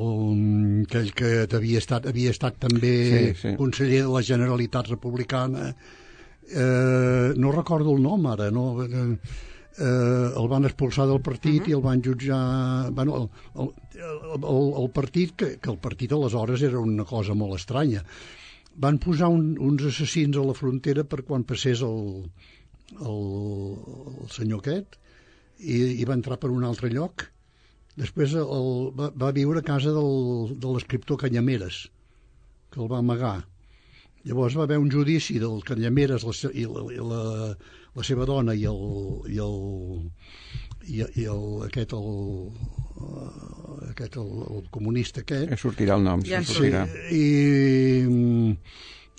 aquell que havia estat, havia estat també sí, sí. conseller de la Generalitat Republicana, uh, no recordo el nom ara, no... Uh, Eh, el van expulsar del partit uh -huh. i el van jutjar... Bueno, el, el, el, el partit, que, que el partit aleshores era una cosa molt estranya. Van posar un, uns assassins a la frontera per quan passés el, el, el senyor aquest, i, i va entrar per un altre lloc. Després el, va, va viure a casa del, de l'escriptor Canyameres, que el va amagar. Llavors va haver un judici del Canyameres la, i, la, i la, la seva dona i el, i el, i, i el aquest el, aquest el, el comunista aquest. Sortirà el nom, ja sí, sortirà. Sí, i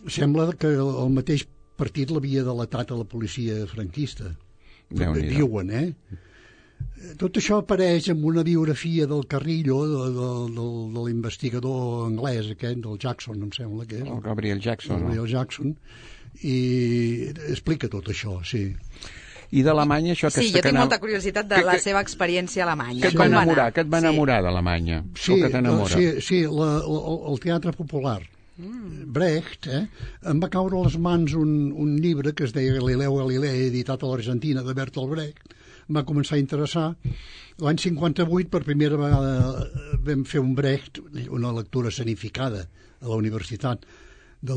sembla que el mateix partit l'havia delatat a la policia franquista. Diuen, eh? Tot això apareix en una biografia del Carrillo, de, de, de, de l'investigador anglès aquest, del Jackson, em sembla que és. El Gabriel Jackson. El Gabriel no? Jackson, i explica tot això, sí. I d'Alemanya, això... Sí, jo tinc anava... molta curiositat de que, la que... seva experiència a Alemanya. Que et va enamorar, que et va enamorar sí. d'Alemanya? Sí, que t'enamora? sí, sí la, la, el teatre popular. Mm. Brecht, eh, em va caure a les mans un, un llibre que es deia Galileu Galilei, editat a l'Argentina, de Bertolt Brecht. Em va començar a interessar. L'any cinquanta-vuit, per primera vegada, vam fer un Brecht, una lectura escenificada a la universitat, de,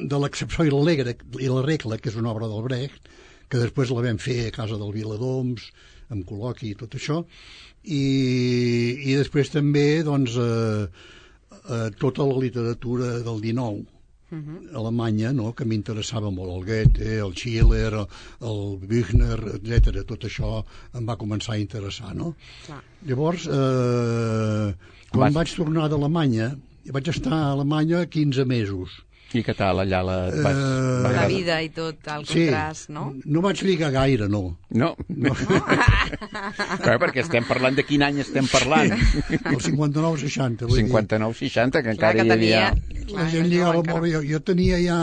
de l'excepció i l'alegre i la regla, que és una obra del Brecht, que després la vam fer a casa del Viladoms, amb col·loqui i tot això, i, i després també, doncs, eh, eh, tota la literatura del dinou, Uh-huh. Alemanya, no?, que m'interessava molt, el Goethe, el Schiller, el, el Büchner, etcètera. Tot això em va començar a interessar, no? Clar. Llavors, eh, quan Vas... vaig tornar d'Alemanya, vaig estar a Alemanya quinze mesos. I què tal, allà la... Vas... Uh, la vida i tot, el sí, contrast, no? No vaig lligar gaire, no. No? No. Clar, perquè estem parlant de quin any estem parlant. El cinquanta-nou seixanta. cinquantanou seixanta, que encara que hi havia... La gent lligava molt bé. Jo, jo tenia ja,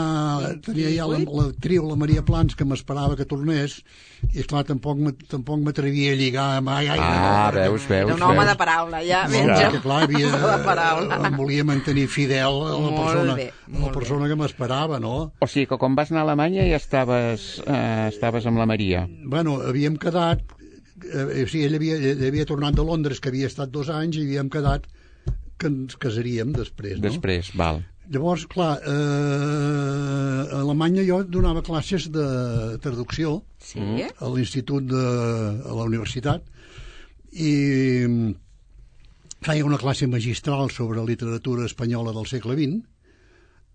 tenia ja la, la trio, la Maria Plans, que m'esperava que tornés, i esclar, tampoc, tampoc m'atrevia a lligar mai. Ah, no, veus, veus. Era un home de paraula, ja. No, perquè, clar, havia, de paraula. Em volia mantenir fidel a la persona, bé, a la persona que m'esperava, no? O sigui que quan vas anar a Alemanya ja estaves, eh, estaves amb la Maria. Bueno, havíem quedat, eh, o sigui, ell havia, ell havia tornat de Londres, que havia estat dos anys, i havíem quedat que ens casaríem després, no? Després, val. Llavors, clar, eh, a Alemanya jo donava classes de traducció sí? a l'institut de a la universitat, i feia una classe magistral sobre literatura espanyola del segle vint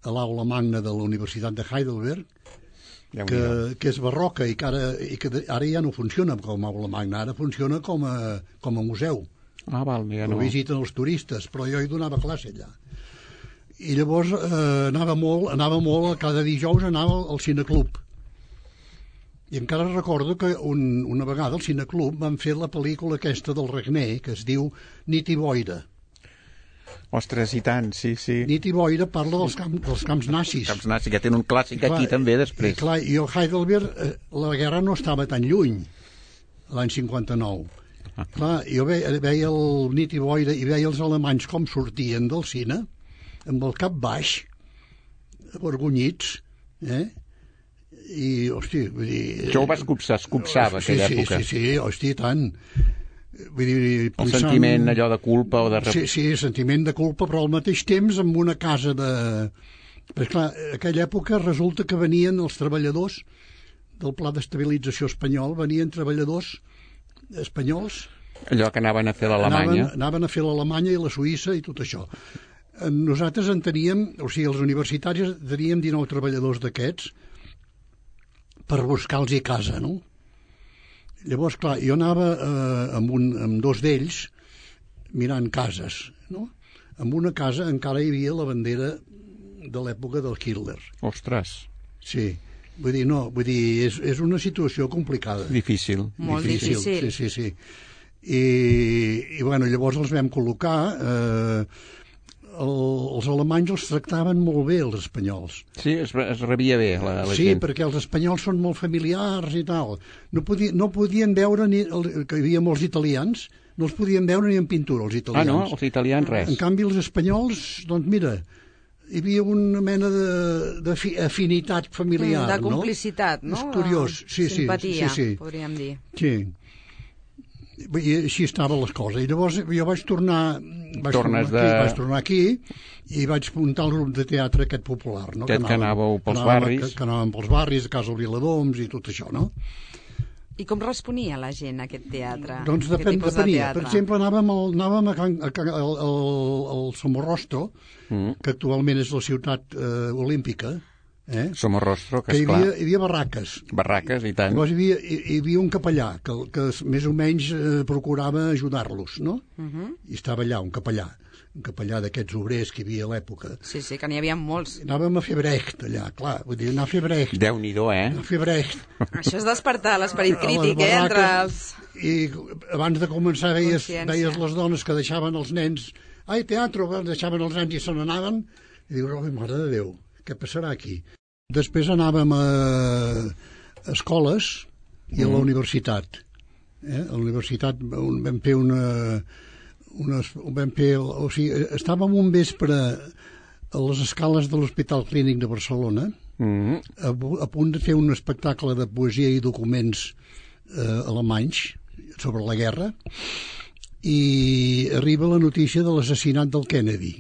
a l'aula magna de la Universitat de Heidelberg, que, que és barroca i que, ara, i que ara ja no funciona com a aula magna, ara funciona com a, com a museu. Ah, val, ja no. Ho visiten els turistes, però jo hi donava classe allà. I llavors eh, anava molt, anava molt, cada dijous anava al cineclub. I encara recordo que un, una vegada al cineclub van fer la pel·lícula aquesta del Regner, que es diu Nit i boira. Ostres, i tant, sí, sí. Nit i boira parla dels, camp, dels camps nazis. Camps nazis, que tenen un clàssic clar, aquí també després. I, clar, i a Heidelberg eh, la guerra no estava tan lluny, l'any cinquanta-nou. Ah. Clar, jo veia, veia el Nit i boira i veia els alemanys com sortien del cine, amb el cap baix, avergonyits, eh? I, hosti, vull dir... Això ho vas copsar, es copsava, sí, aquella sí, època. Sí, sí, hosti, tant. Vull dir, el pensant... sentiment allò de culpa o de... Sí, sí, sentiment de culpa, però al mateix temps amb una casa de... Perquè, clar, en aquella època resulta que venien els treballadors del Pla d'Estabilització espanyol, venien treballadors espanyols... Allò que anaven a fer l'Alemanya. Anaven, anaven a fer l'Alemanya i la Suïssa i tot això. Nosaltres en teníem, o sigui, els universitaris teníem dinou treballadors d'aquests per buscar-los casa, no? Llavors, clar, jo anava eh, amb, un, amb dos d'ells mirant cases, no? En una casa encara hi havia la bandera de l'època del Hitler. Ostres. Sí, vull dir, no, vull dir, és, és una situació complicada. Difícil. Molt difícil. difícil. Sí, sí, sí. I, i bueno, llavors els vam col·locar... Eh, el, els alemanys els tractaven molt bé, els espanyols. Sí, es, es rebia bé la, la sí, gent. Sí, perquè els espanyols són molt familiars i tal. No, podia, no podien veure, ni el, que hi havia molts italians, no els podien veure ni en pintura, els italians. Ah, no? Els italians res. En canvi, els espanyols, doncs mira, hi havia una mena d'afinitat familiar, de complicitat, no? no? És curiós, sí, simpatia, sí, sí, sí. podríem dir. Sí. I així estaven les coses. I llavors jo vaig tornar, vaig tornes tornar aquí, de... vaig tornar aquí i vaig muntar el grup de teatre aquest popular, no? Aquest que anàveu pels que anàvem, barris. Que, que anàvem pels barris, a Casa Viladoms i tot això, no? I com responia la gent a aquest teatre? Doncs Aquest depèn, tipus de depenia. teatre? Per exemple, anàvem, al, anàvem a, Can- a, Can- al, al, al Somorrostro, Mm. que actualment és la ciutat eh, olímpica, eh? Somorrostro, que que hi esclar. havia, hi havia barraques. Barraques, i tant. Llavors hi havia, hi, hi havia un capellà que, que més o menys eh, procurava ajudar-los, no? Uh -huh. I estava allà, un capellà, un capellà d'aquests obrers que hi havia a l'època. Sí, sí, que n'hi havia molts. Anàvem a fer brecht allà, clar, vull dir, anar a fer brecht. Déu-n'hi-do, eh? A fer brecht. Això és despertar l'esperit A les crític, eh, entre els... I abans de començar veies, Consciència. veies les dones que deixaven els nens, ai, teatre, deixaven els nens i se n'anaven, i dius, oh, mare de Déu, què passarà aquí? Després anàvem a, a escoles i a la universitat. Eh? A la universitat on vam fer una... una vam fer, o sigui, estàvem un vespre a les escales de l'Hospital Clínic de Barcelona, Mm. a, a punt de fer un espectacle de poesia i documents eh, alemanys sobre la guerra, i arriba la notícia de l'assassinat del Kennedy.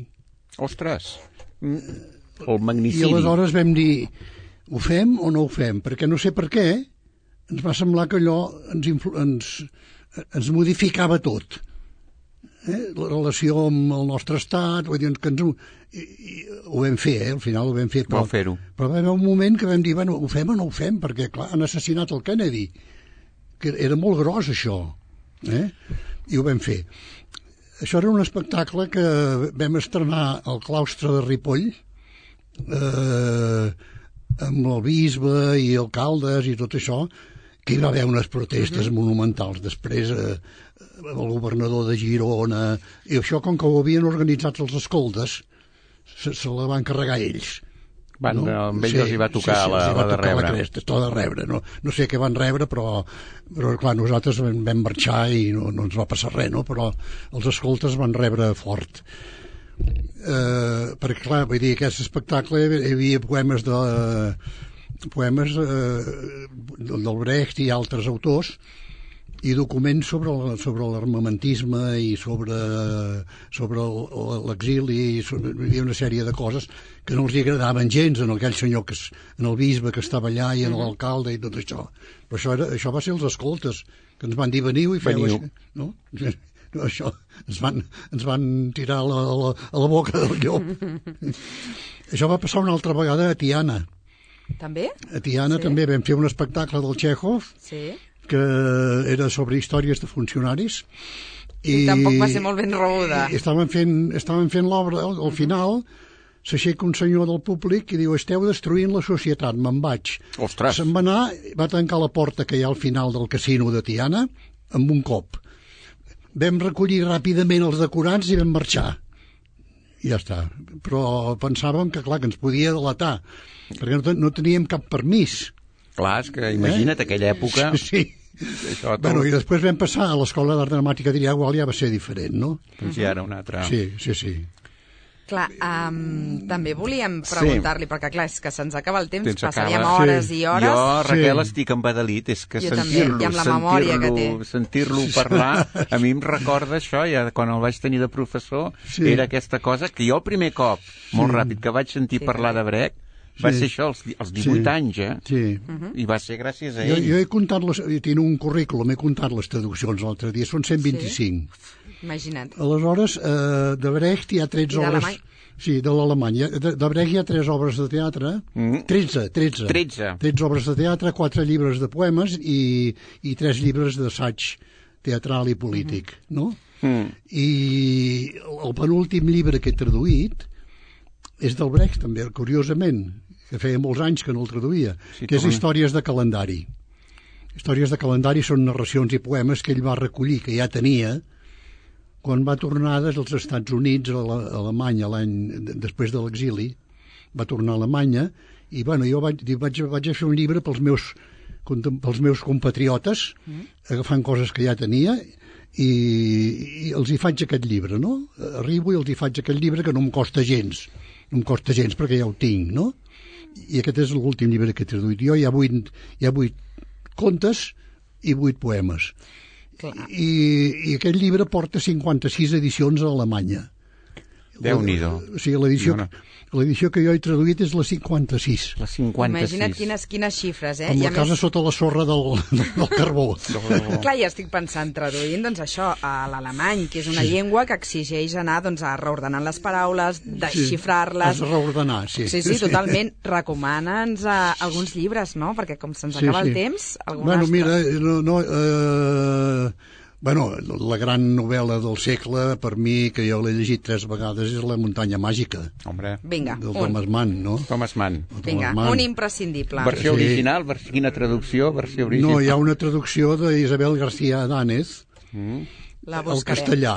Ostres! Mm. El I magnicidi. aleshores vam dir, ho fem o no ho fem? Perquè no sé per què, ens va semblar que allò ens, influ ens, ens modificava tot. Eh? La relació amb el nostre estat, vull dir, que ens, i, i, ho vam fer, eh? Al final ho vam fer. Però, Vau fer-ho. però va haver un moment que vam dir, bueno, ho fem o no ho fem? Perquè, clar, han assassinat el Kennedy, que era molt gros, això. Eh? I ho vam fer. Això era un espectacle que vam estrenar al claustre de Ripoll, eh, amb el bisbe i alcaldes i tot això, que hi va haver unes protestes uh-huh. monumentals. Després eh, el governador de Girona, i això com que ho havien organitzat els escoltes, se, se la van carregar ells. Van, no? Amb ells sí, els hi va tocar sí, sí, la, els hi va la de tocar rebre. la cresta, tot de rebre. No, no sé què van rebre, però, però clar, nosaltres vam, vam marxar i no, no ens va passar res, no? Però els escoltes van rebre fort. Eh, perquè, clar, vull dir, aquest espectacle hi havia poemes de poemes eh, del Brecht i altres autors, i documents sobre el, sobre l'armamentisme i sobre, sobre l'exili, i sobre, hi havia una sèrie de coses que no els hi agradaven gens en aquell senyor, que, en el bisbe que estava allà i en l'alcalde i tot això. Però això, era, això va ser els escoltes, que ens van dir veniu i feu Veniu. això. No? No, això ens van, ens van tirar a la, a la, a la boca del llop. Això va passar una altra vegada a Tiana. També? A Tiana Sí. també vam fer un espectacle del Txékhov, Sí. que era sobre històries de funcionaris. I, I tampoc va ser molt ben rebuda. I estaven fent, estaven fent l'obra, al, al final s'aixeca un senyor del públic i diu, esteu destruint la societat, me'n vaig. Ostres! Se'n va anar, va tancar la porta que hi ha al final del casino de Tiana amb un cop. Vam recollir ràpidament els decorants i vam marxar. I ja està. Però pensàvem que, clar, que ens podia delatar, perquè no, no teníem cap permís. Clar, és que imagina't, eh? Aquella època... Sí. Això tot... Bueno, i després vam passar a l'Escola d'Art Dramàtica de Igual, ja va ser diferent, no? Doncs ja era un altre... Sí, sí, sí. Clar, um, també volíem preguntar-li, perquè clar, és que se'ns acaba el temps, Temps passaríem acaba. hores Sí. i hores. Jo, Raquel, Sí. estic embadalit, és que Jo també, sentir-lo, i amb la memòria que té. sentir-lo, sentir-lo parlar, a mi em recorda això, ja quan el vaig tenir de professor, Sí. era aquesta cosa que jo el primer cop, molt ràpid, que vaig sentir Sí, parlar de Brecht, va Sí. ser això als, als divuit Sí. anys, eh? Sí. I va ser gràcies a Jo, ell. jo he comptat, les, tinc un currículum, he comptat les traduccions l'altre dia, són cent vint-i-cinc. Imagina't. Aleshores, eh, de Brecht hi ha tretze I obres... d'alemany? Sí, de l'alemany. De, de Brecht hi ha tres obres de teatre, Mm. tretze, tretze. Tretze. tretze obres de teatre, quatre llibres de poemes i, i tres llibres d'assaig teatral i polític, no? Mm. I el, el penúltim llibre que he traduït és del Brecht, també, curiosament, que feia molts anys que no el traduïa, Sí, que és com- Històries de calendari. Històries de calendari són narracions i poemes que ell va recollir, que ja tenia, quan va tornar dels Estats Units a la- a Alemanya l'any després de l'exili, va tornar a Alemanya, i bueno, jo vaig, vaig, vaig a fer un llibre pels meus, pels meus compatriotes, agafant coses que ja tenia, i, i els hi faig aquest llibre, no? Arribo i els hi faig aquest llibre que no em costa gens, no em costa gens perquè ja ho tinc, no? I aquest és l'últim llibre que he traduït. Jo hi ha vuit, hi ha vuit contes i vuit poemes. I, i aquest llibre porta cinquanta-sis edicions a Alemanya. Déu-n'hi-do. O sigui, l'edició... No, no. L'edició que jo he traduït és la cinquanta-sis. La cinquanta-sis. Imagina't quines, quines xifres, eh? Amb la I a casa més... sota la sorra del, del carbó. Clar, ja estic pensant, traduint, doncs això, a l'alemany, que és una sí. llengua que exigeix anar doncs, a reordenant les paraules, desxifrar-les... Sí, reordenar, sí. Sí, sí, totalment. Recomana'ns uh, alguns llibres, no? Perquè com se'ns sí, acaba sí. el temps... Bueno, mira, no... no eh... Bueno, la gran novel·la del segle, per mi, que jo l'he llegit tres vegades, és La muntanya màgica. Hombre. Vinga, del un. Thomas Mann, no? Thomas Mann. Vinga, Thomas Mann. un imprescindible. Versió Sí. original? Versió, quina traducció? Versió original? No, hi ha una traducció d'Isabel García Adánez Mm. La al buscarem. castellà.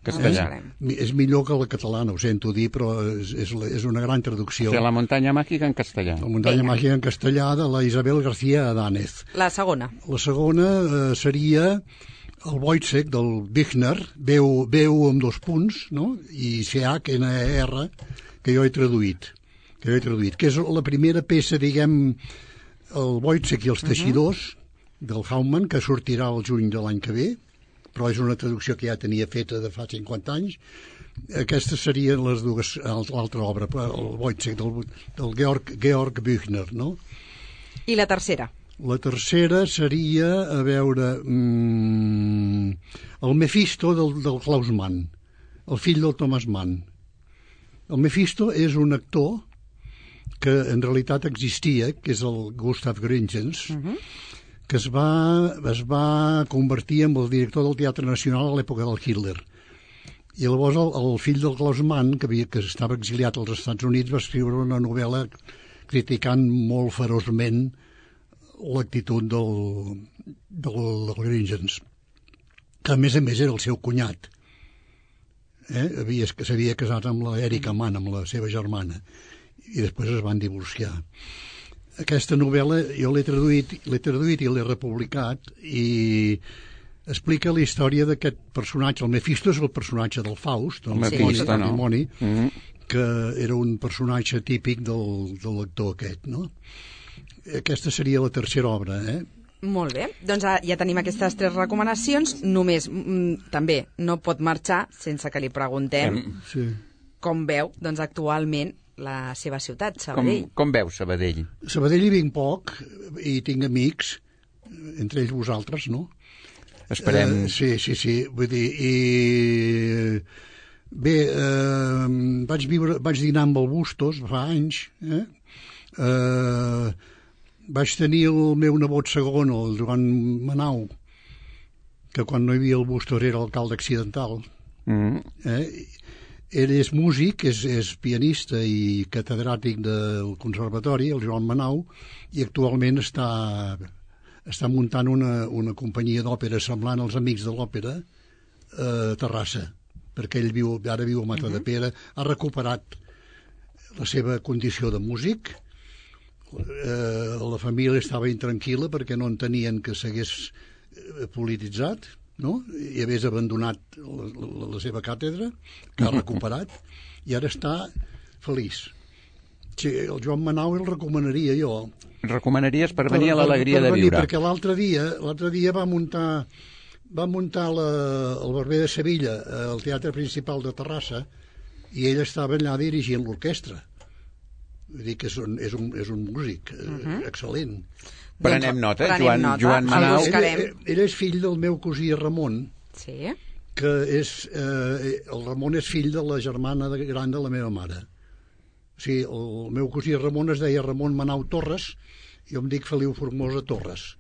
Castellà. Mi- És millor que la catalana, ho sento dir, però és, és, la- és una gran traducció. O sigui, La muntanya màgica en castellà. La muntanya Vinga. màgica en castellà de la Isabel García Adánez. La segona. La segona eh, seria el Wojciech del Büchner, veu, veu amb dos punts, no? I C H N E R, que jo he traduït, que jo he traduït, que és la primera peça, diguem, el Wojciech i els teixidors, uh-huh. del Haumann, que sortirà el juny de l'any que ve, però és una traducció que ja tenia feta de fa cinquanta anys. Aquestes serien les dues, l'altra obra, el Wojciech del, del Georg, Georg Büchner, no? I la tercera. La tercera seria, a veure, mmm, el Mephisto del, del Klaus Mann, el fill del Thomas Mann. El Mephisto és un actor que en realitat existia, que és el Gustav Gründgens, uh-huh. que es va, es va convertir en el director del Teatre Nacional a l'època del Hitler. I llavors el, el fill del Klaus Mann, que, havia, que estava exiliat als Estats Units, va escriure una novel·la criticant molt feroçment l'actitud del, del, del Gründgens, que a més a més era el seu cunyat. Eh? Havia, s'havia casat amb la Erika Mann, amb la seva germana, i després es van divorciar. Aquesta novel·la jo l'he traduït, l'he traduït i l'he republicat, i explica la història d'aquest personatge. El Mephisto és el personatge del Faust, el Mephisto, sí. no? Mm-hmm. Que era un personatge típic del, de l'actor aquest, no? Aquesta seria la tercera obra, eh? Molt bé. Doncs ja tenim aquestes tres recomanacions. Només, mm, també, no pot marxar sense que li preguntem sí. com veu, doncs, actualment la seva ciutat, Sabadell. Com, com veu Sabadell? Sabadell hi vinc poc, i tinc amics, entre ells vosaltres, no? Esperem... Eh, sí, sí, sí. Vull dir, i... Bé, eh, vaig, viure, vaig dinar amb el Bustos fa anys, eh? Eh... Vaig tenir el meu nebot segon, el Joan Manau, que quan no hi havia el Bustos era alcalde accidental. Mm-hmm. Eh? Ell és músic, és, és pianista i catedràtic del conservatori, el Joan Manau, i actualment està, està muntant una, una companyia d'òpera semblant als Amics de l'Òpera a Terrassa, perquè ell viu, ara viu a Matadepera, ha recuperat la seva condició de músic. Eh, la família estava intranquil·la perquè no entenien que s'hagués polititzat, no? I hagués abandonat la, la, la seva càtedra, que ha recuperat, i ara està feliç. Sí, el Joan Manau el recomanaria jo. Recomanaries per venir per, a l'alegria per, per de venir, viure. Perquè l'altre dia, l'altre dia va muntar, va muntar la, el Barber de Sevilla al Teatre Principal de Terrassa, i ell estava allà dirigint l'orquestra. Vull dir que és un, és un, és un músic uh-huh. excel·lent. Prenem nota, Prenem Joan, nota. Joan Manau. Ell, ell, ell és fill del meu cosí Ramon, sí. que és, eh, el Ramon és fill de la germana de, gran de la meva mare. O sigui, el meu cosí Ramon es deia Ramon Manau Torres, i jo em dic Feliu Formosa Torres.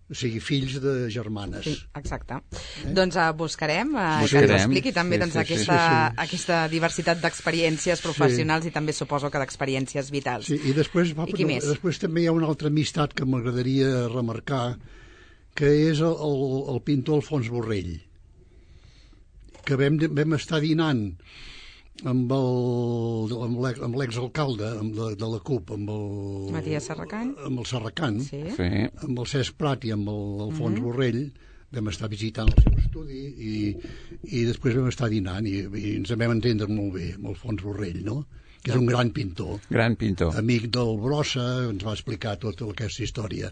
O sigui, fills de germanes. Sí, exacte. Eh? Doncs uh, buscarem, uh, buscarem que ens expliqui també sí, doncs, sí, aquesta, sí, sí. aquesta diversitat d'experiències professionals sí. i també suposo que d'experiències vitals. Sí, i després, va, I qui no, més? després també hi ha una altra amistat que m'agradaria remarcar, que és el, el, el pintor Alfons Borrell, que vam, vam estar dinant amb el amb l'exalcalde amb la, de la CUP, amb el Matías Serracant, amb el Serracant, sí. Sí. amb el Cesc Prat i amb l'Alfons mm-hmm. Borrell, vam estar visitant el seu estudi i, i després vam estar dinant i, i ens vam entendre molt bé amb Alfons Borrell, no? Que és un gran pintor. Gran pintor. Amic del Brossa, ens va explicar tota aquesta història.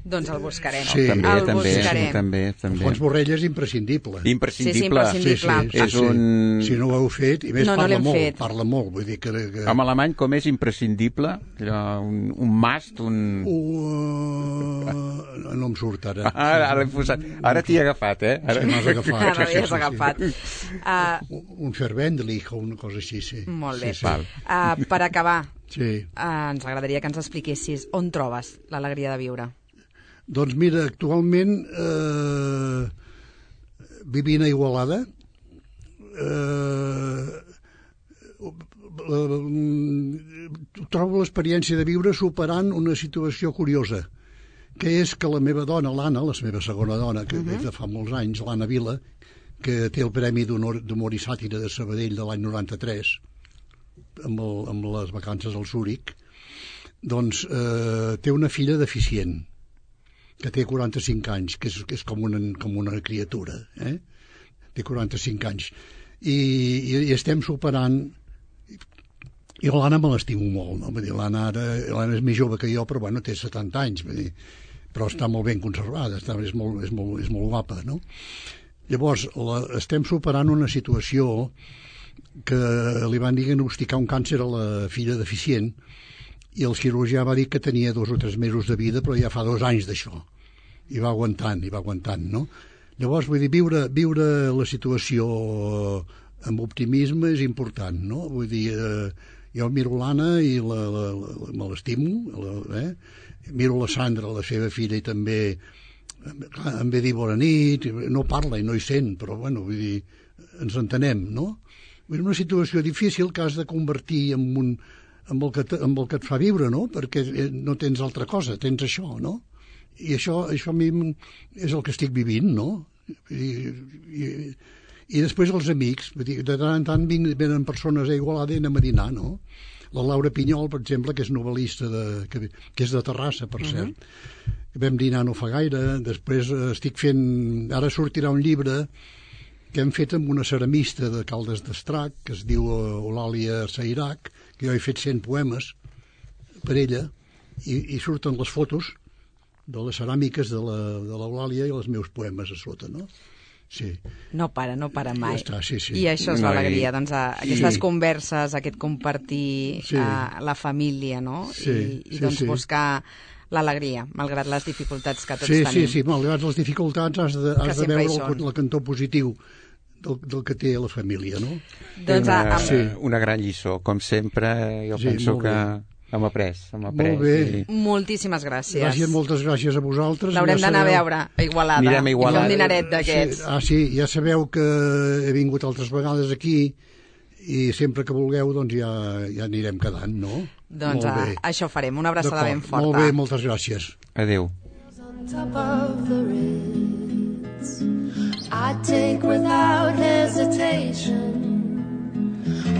Doncs el buscarem. Sí. També, el també, buscarem. també, també. Fons Borrell és imprescindible. Imprescindible. Sí, sí, imprescindible. Sí, sí, És un... Si no ho heu fet, i més No, no parla l'hem molt, fet. parla molt, vull dir que... que... En alemany, com és imprescindible? Allò, un, un must, un... Uh, no em surt ara. Ara, ara, posat... ara t'hi he agafat, eh? Ara... Sí, m'has agafat. Ara sí, ja has sí, agafat. sí. Uh, Un fervendlich o una cosa així, sí. molt bé. Sí, sí. Val. Uh, per acabar, Sí. uh, ens agradaria que ens expliquessis on trobes l'alegria de viure. Doncs mira, actualment eh, vivint a Igualada, eh, trobo l'experiència de viure superant una situació curiosa, que és que la meva dona, l'Anna, la meva segona dona, que uh-huh. de fa molts anys, l'Anna Vila, que té el Premi d'Humor i Sàtira de Sabadell de l'any noranta-tres, amb, el, amb les vacances al Zúrich, doncs eh, té una filla deficient, que té quaranta-cinc anys, que és, que és com, una, com una criatura, eh? Té quaranta-cinc anys. I, i, i estem superant... I l'Anna me l'estimo molt, no? Vull dir, l'Anna ara, l'Anna és més jove que jo, però bueno, té setanta anys, vull dir, però està molt ben conservada, està, és, molt, és, molt, és molt guapa, no? Llavors, la, estem superant una situació que li van diagnosticar un càncer a la filla deficient, i el cirurgià va dir que tenia dos o tres mesos de vida, però ja fa dos anys d'això. I va aguantant, i va aguantant, no? Llavors, vull dir, viure, viure la situació amb optimisme és important, no? Vull dir, eh, jo miro l'Anna i la, la, la, me l'estimo, eh? Miro la Sandra, la seva filla, i també clar, em ve dir bona nit, no parla i no hi sent, però, bueno, vull dir, ens entenem, no? Vull dir, una situació difícil que has de convertir en un... amb el, que te, amb el que et fa viure, no? Perquè no tens altra cosa, tens això, no? I això, això a mi és el que estic vivint, no? I, i, i després els amics, vull dir, de tant en tant venen persones a Igualada i anem a dinar, no? La Laura Pinyol, per exemple, que és novel·lista, de, que, que és de Terrassa, per uh-huh. cert. Vam dinar no fa gaire, després estic fent... Ara sortirà un llibre que hem fet amb una ceramista de Caldes d'Estrac, que es diu Eulàlia Seirac, que jo he fet cent poemes per ella, i, i surten les fotos de les ceràmiques de l'Eulàlia i els meus poemes a sota, no? Sí. No para, no para mai. Ja està, sí, sí. I això és No, l'alegria, i- doncs, a, aquestes Sí. converses, aquest compartir Sí. a, la família, no? Sí, I, i sí, doncs sí. buscar l'alegria, malgrat les dificultats que tots Sí, tenim. sí, sí, malgrat les dificultats has de, has de sempre hi veure el, són. el cantó positiu del, del que té la família, no? Doncs una, a, amb, Sí. una gran lliçó, com sempre, jo Sí, penso molt que bé. hem après, hem après. Molt bé. I... moltíssimes gràcies. Gràcies, moltes gràcies a vosaltres. L'haurem Ja d'anar a sabeu- veure a Igualada. Anirem a Igualada. I fer un dinaret d'aquests. Sí, ah, sí, ja sabeu que he vingut altres vegades aquí i sempre que vulgueu doncs ja, ja anirem quedant, no? Doncs Molt a, bé. això farem, una abraçada D'acord, ben forta. Molt bé, moltes gràcies. Adéu. On top of the Ritz, I take without hesitation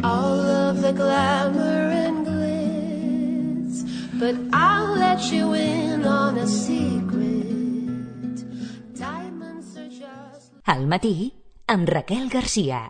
all of the glamour and glitz, but I'll let you in on a secret. Diamonds are just Al matí, amb Raquel Garcia.